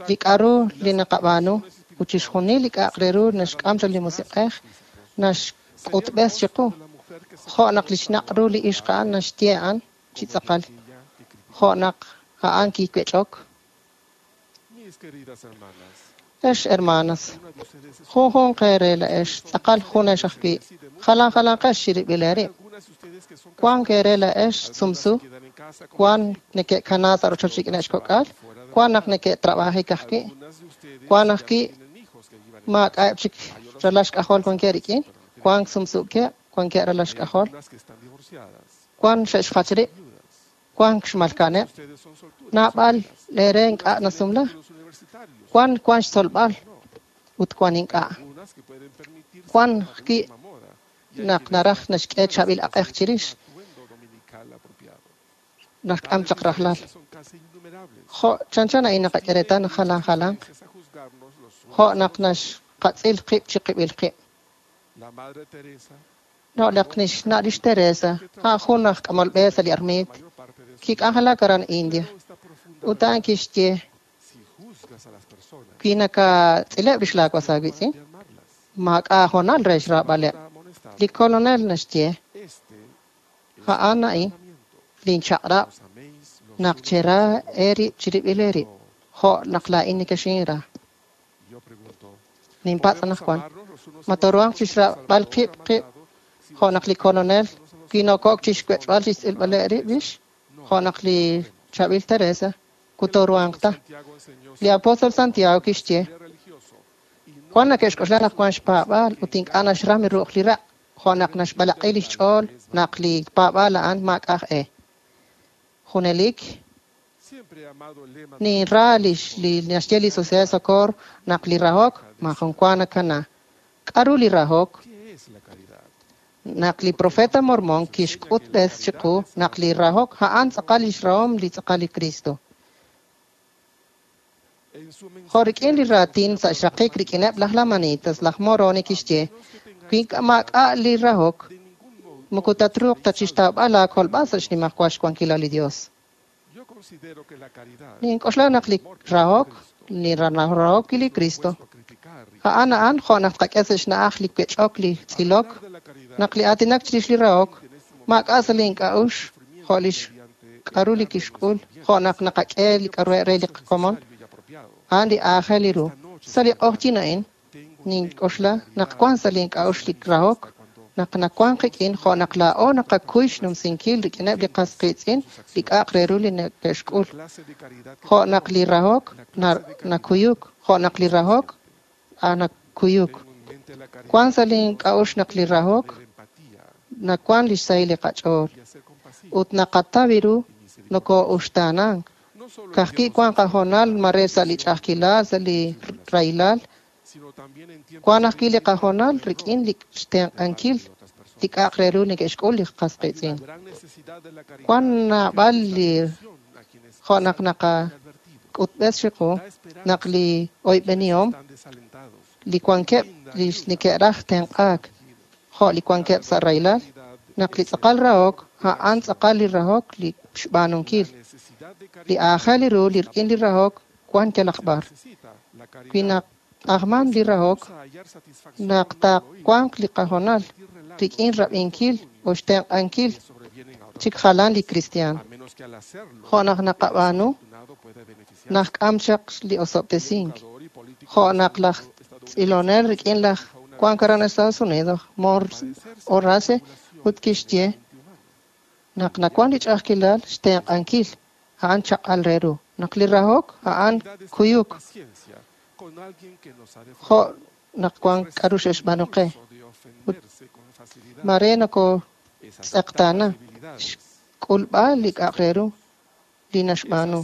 li k'aru li naqab'aanu ut chixjunil li k'a'aq re ru naxk'am chaq li musiq'ej naxk'utb'es chiqu jo' naq li xnaq' ru li ixq a'an naxye a'an chi tz'aqal jo' naq a'an kiwech'ok. Ex hermanas, junjunq eere la'ex tz'aqal junex ajwi' jalan jalanqex chirib'il eerib'. Wan eere la'ex sumsu, wan neke'kana sa' rochoch rik'ineb' xkok'al, wan naq neke'trab'ajik ajwi', wan ajwi' maak'a'eb' chik ralal xk'ajol wankeb' rik'in, wan sumsukeb', wankeb' ralal xk'ajol, wan xe'xjach rib', wan xmalka'aneb', naab'al leere ink'a' nasumla, wan wan xtzolb'al ut wan ink'a'. Wan ajwi' naq naraj naxk'e chaab'il aq'ej chirix, naxk'am chaq rajlal. Jo' chanchan a'in naqak'e reetal naq jalan jalanq, jo' naq naxqatz'il qib' chiqib'il qib'. No' naq nixna' lix Teresa, a'an jun aj k'amol b'e sa' li armiit, kik'anjelak aran India. Ut a'an kixye, wi nakatz'ileb' rix laawas aawitz'in, maak'a' hoonal re xraab'aleb'. Li kolonel naxye, a'an a'in linchaq'rab' naq chera eerib' chirib'il eerib', jo' naq laa'in nekexinra. Ninpatz' anaqwan, ma tooruhanq chixraab'al qib' qib' jo' naq li kolonel Wi noko'ok chixwech'b'al chixtz'ilb'aleb' rib' rix, jo' naq li chaab'il Teresa kutoruhanq ta. Li apóstol Santiago kixye, wan neke'xk'oxla naq wan xpaab'aal ut ink'a' naxram ru'uj li raq', jo' naq naxb'alaq'i lix ch'ool naq li paab'aal a'an maak'a' e. Junelik ninra lix li naxye li Sociedad de Socorro naq li rahok maajun wa nakana. K'aru li rahok? Naq li profeta Mormon kixk'utb'es chiqu naq li rahok a'an tz'aqal lix rahom li tz'aqal li Cristo. Jo' rik'in li raatin sa' xraqik rik'ineb' laj Lamanitas, laj Moroni kixye, wi maak'a' li rahok, moko tatruuq ta chixtawb'al laakolb'al sa' xnimajwal xwankilal li Dios. Nink'oxla naq li rahok, li rahok li Cristo, a'an a'an jo' naq tqak'e sa' xna'aj li wech'ok, li tz'ilok, naq li aatinak chirix li rahok, maak'a' sa' li ink'a'uxl jo' lix k'aru li kixk'ul, jo' naq naqak'e li k'aru re li qakomon, a'an li aajel li ru. Sa' li q'oqyin a'in, nink'oxla naq wan sa' li ink'a'uxl li rahok, naq nawan qik'in jo' naq laa'o naqakuy xnumsinkil rik'ineb' li qas qiitz'in li k'a'aq re ru li neke'xk'ul. Jo' naq li rahok nakuyuk, jo' naq li rahok nakuyuk. Wan sa' li ink'a'uxl naq li rahok nawan lix sahil li qach'ool ut naqataw ru nokoo'uxtaanank. Ka'ajwi' wan qahoonal mare sa' li ch'a'ajkilal, sa' li rahilal, wan ajwi' li qahoonal rik'in li xtenq'ankil li k'a'aq re ru neke'xk'ul li qas qiitz'in. Wan naab'al li jo' naq naqak'utb'es chiqu naq li oyb'enihom li wankeb' li neke'raj tenq'aak jo' li wankeb' sa' rahilal, naq li tz'aqal rahok a'an tz'aqal li rahok li xb'aanunkil. Li aajel ru li rik'in li rahok wan yalaq b'ar. Wi naq'ajman li rahok, naq taawanq li qahoonal rik'in rab'inkil o xtenq'ankil chik jalan li kristiaan. Jo' naq naqab'aanu, najk'am chaq li osob'tesink. Jo' naq laj tz'ilonel rik'in laj Juan aran Estados Unidos, Morse Horace, ut kixye naq nawan li ch'a'ajkilal xtenq'ankil a'an chaq'al re ru. Naq li rahok a'an kuyuk. Jo' naq wan k'aru xe'xb'aanu qe. Ut mare nokotz'eqtaana xk'ulb'al li k'a'aq re ru li naxb'aanu.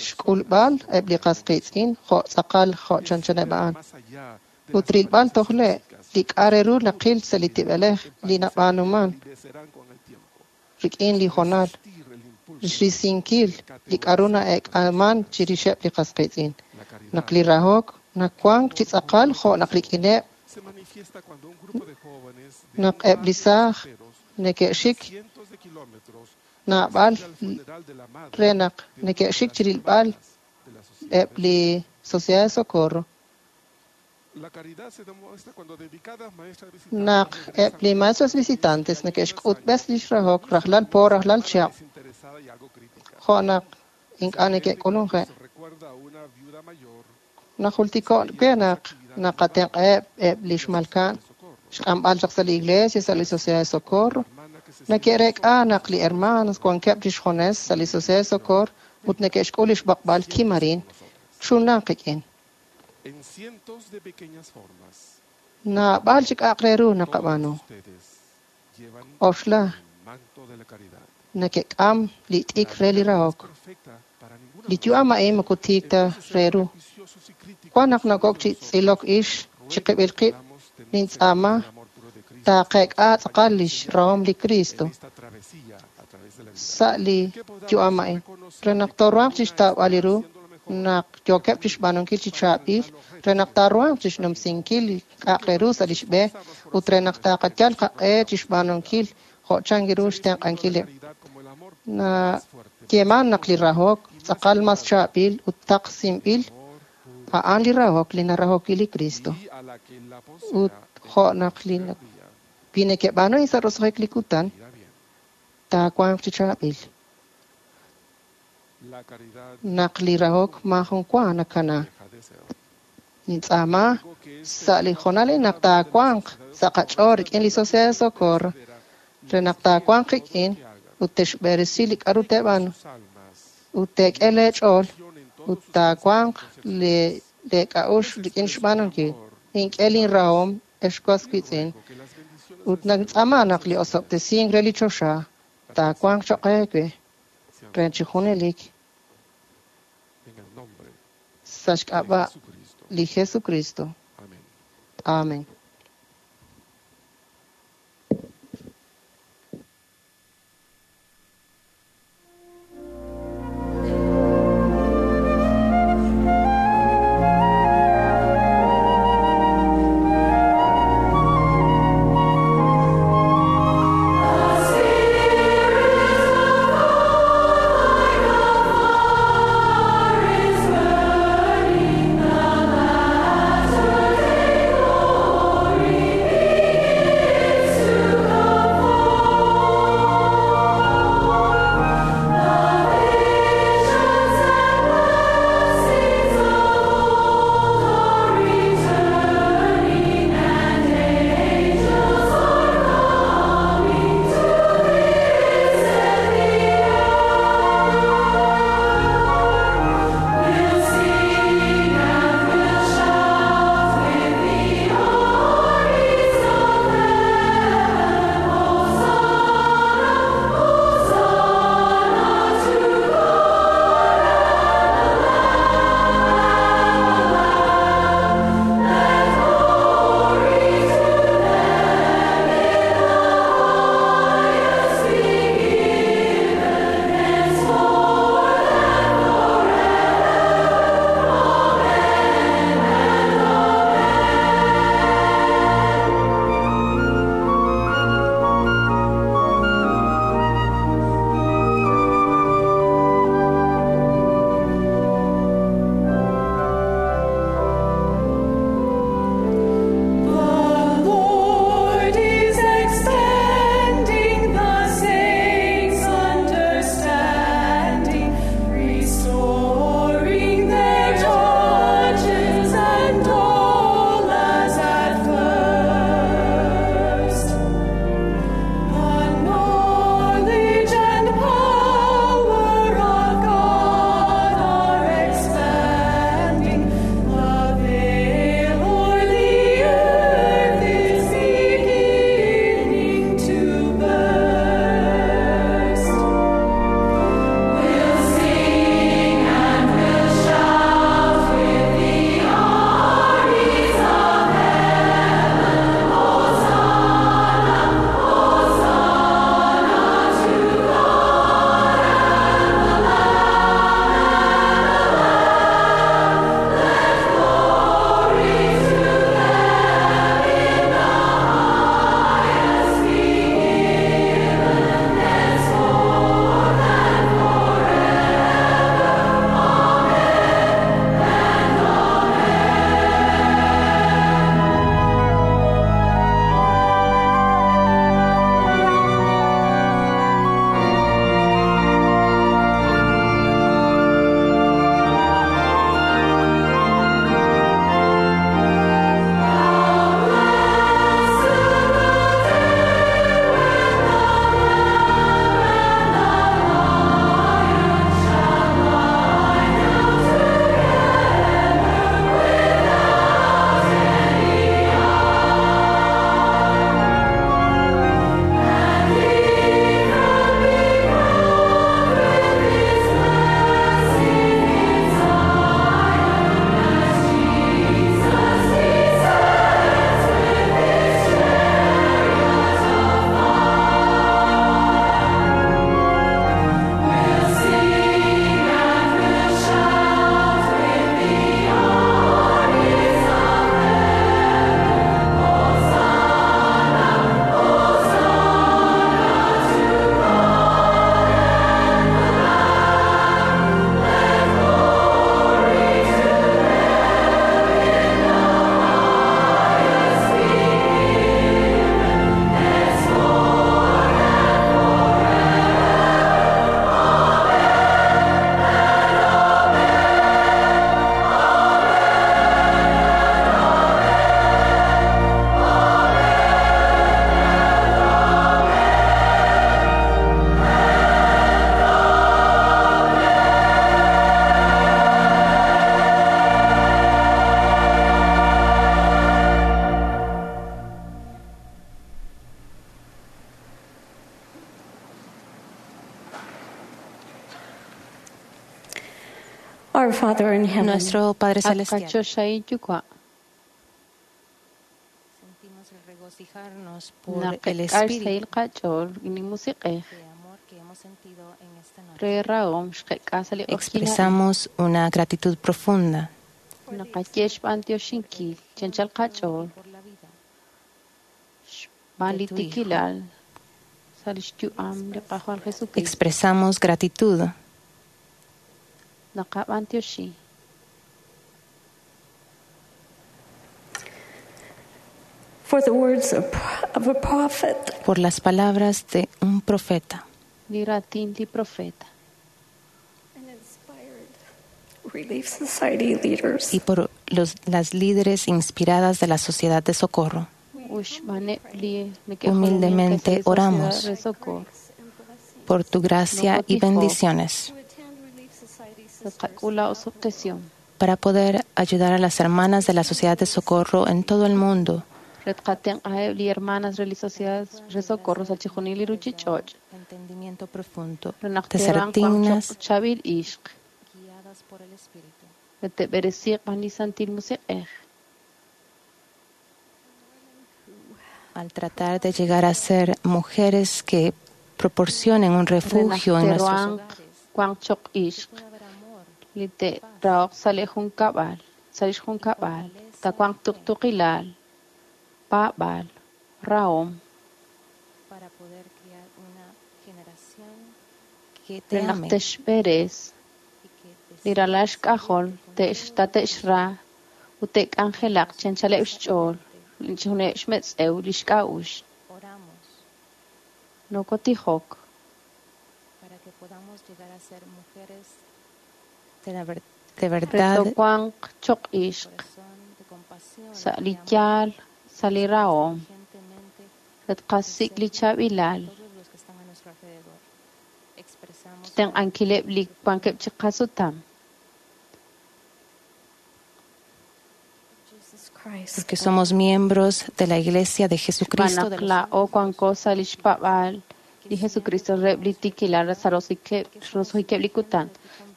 Xk'ulb'al eb' li qas qiitz'in jo' tz'aqal jo' chanchaneb' a'an. Ut rilb'al tojle' li k'a' re ru naqil sa' li tib'elej li nab'aanuman rik'in li hoonal, xrisinkil li k'aru na'eek'aman chirixeb' li qas qiitz'in. Naq li rahok nawank chi tz'aqal jo' naq rik'ineb' naq eb' li saaj neke'xik naab'al re naq neke'xik chirilb'al eb' li Sociedad de Socorro. Naq eb' li maestros visitantes neke'xk'utb'es lix rahok rajlal po rajlal chihab', jo' naq ink'a' neke'k'ulunje'. Najultiko' we naq naqatenq'aheb' eb' li xmalka'an xk'amb'al chaq sa' li iglesia, sa' li Sociedad de Socorro. Neke'reek'a naq li hermanos wankeb' chixjunes sa' li Sociedad de Socorro ut neke'xk'ul lix b'oqb'al kimarin chunlan qik'in. Naab'al chi k'a'aq re ru naqab'aanu. Oxla neke'k'am li t'ik re li rahok. Li yu'am a'in moko tiik ta re ru. Wan naq nokok chi tz'ilok ix chiqib'il qib' nintz'aama taaqeek'a tz'aqal lix rahom li Cristo sa' li yu'am a'in. Re naq tooruhanq chixtawb'al li ru naq yookeb' chixb'aanunkil chi chaab'il, re naq taaruhanq chixnumsinkil li k'a'aq re ru sa' lix b'e ut re naq taaqayal qaq'e chixb'aanunkil jo' chan ru xtenq'ankileb'. Nayeeman naq li rahok tz'aqal mas chaab'il ut taqsinb'il a'an li rahok li narahok li Cristo. Ut jo' naq li wi neke'b'aanu sa' roso'jik li kutan, taawanq chi chaab'il. Naq li rahok maajun wa nakana. Nintz'aama sa' li hoonal naq taawanq sa' qach'ool rik'in li Sociedad de Socorro re naq taawanq qik'in ut texb'eresi li k'aru teeb'aanu ut teek'e leech'ool ut taawanq leek'a'uxl rik'in xb'aanunkil. Ink'e linrahom, ex was wiitz'in, ut nintz'aama naq li osob'tesink re li choxa taawanq cho'q eewe re chi junelik sa' xk'ab'a' li Jesucristo. Amén. Burning the matter they go. Our Father in heaven. Nuestro Padre Celestial. At qachoxahil yuwa' Sentimos el regocijarnos por el naqek'a Espíritu xsahil qach'ool rik'in li musiq'ej de amor que hemos sentido en esta noche. re rahom xqek'a sa' li q'oqyink a'in. Expresamos una gratitud profunda Naqaye xb'antioxinkil chanchal qach'ool por la vida xb'aan de li tu Hijo. tikilal sa' lix yu'am li Qajwal Jesucristo. Expresamos gratitud Naqab'antioxi For the words of, of a prophet. por las palabras de un profeta li raatin li profeta And inspired Relief Society leaders. y por los, las líderes inspiradas de la Sociedad de Socorro. ut xb'aaneb' li neke'jolomink Humildemente re sa' li Sociedad oramos re Socorro. por tu gracia y bendiciones Naqak'ul la osob'tesihom para poder ayudar a las hermanas de la Sociedad de Socorro en todo el mundo re tqatenq'aheb' li hermanas re li Sociedad re Socorro sa' chixjunil li ruchich'och' entendimiento profundo, re naq de ser te'ruhanq dignas wanq choq' chaab'il ixq guiadas por el Espíritu. re te'b'eresiiq b'an li Santil Musiq'ej Al tratar de llegar a ser mujeres que proporcionen un re naq refugio en nuestros te'ruhanq hogares, wanq choq' ixq pueda haber amor, li te'rahoq sa' li junkab'al sa' lix junkab'al tawanq tuqtuqilal paab'aal rahom para poder criar una generación que te re naq ame te'xb'eres y que li desee ralal xk'ajol servirte con te'x- tate'xra ut te'k'anjelaq chanchaleb' xch'ool chixjunileb' xmetz'ew li xk'a'uxl Oramos nokotijok para que podamos llegar a ser mujeres de, la ver- de re verdad, towanq choq' ixq corazón de compasión sa' y li amor, yaal sa' li rahom diligentemente re tqasik' li chaab'ilal todos los que están a nuestro alrededor. Expresamos xtenq'ankileb' li wankeb' chi qasutam Jesus Christ. porque somos miembros de la Iglesia de Jesucristo xb'aan de naq los laa'o wanko sa' li xpaab'aal li Jesucristo reheb' li tikilal sa' roso'jikeb' roso'jikeb' li kutan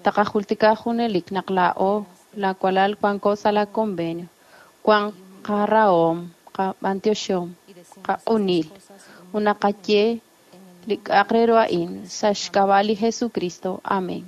taqajultika junelik naq laa'o laawalal wanko sa' la convenio wank qarahom qab'antioxihom qaq'unil ut naqaye li k'a'aq re ru a'in sa' xk'ab'a' li Jesucristo. Amén.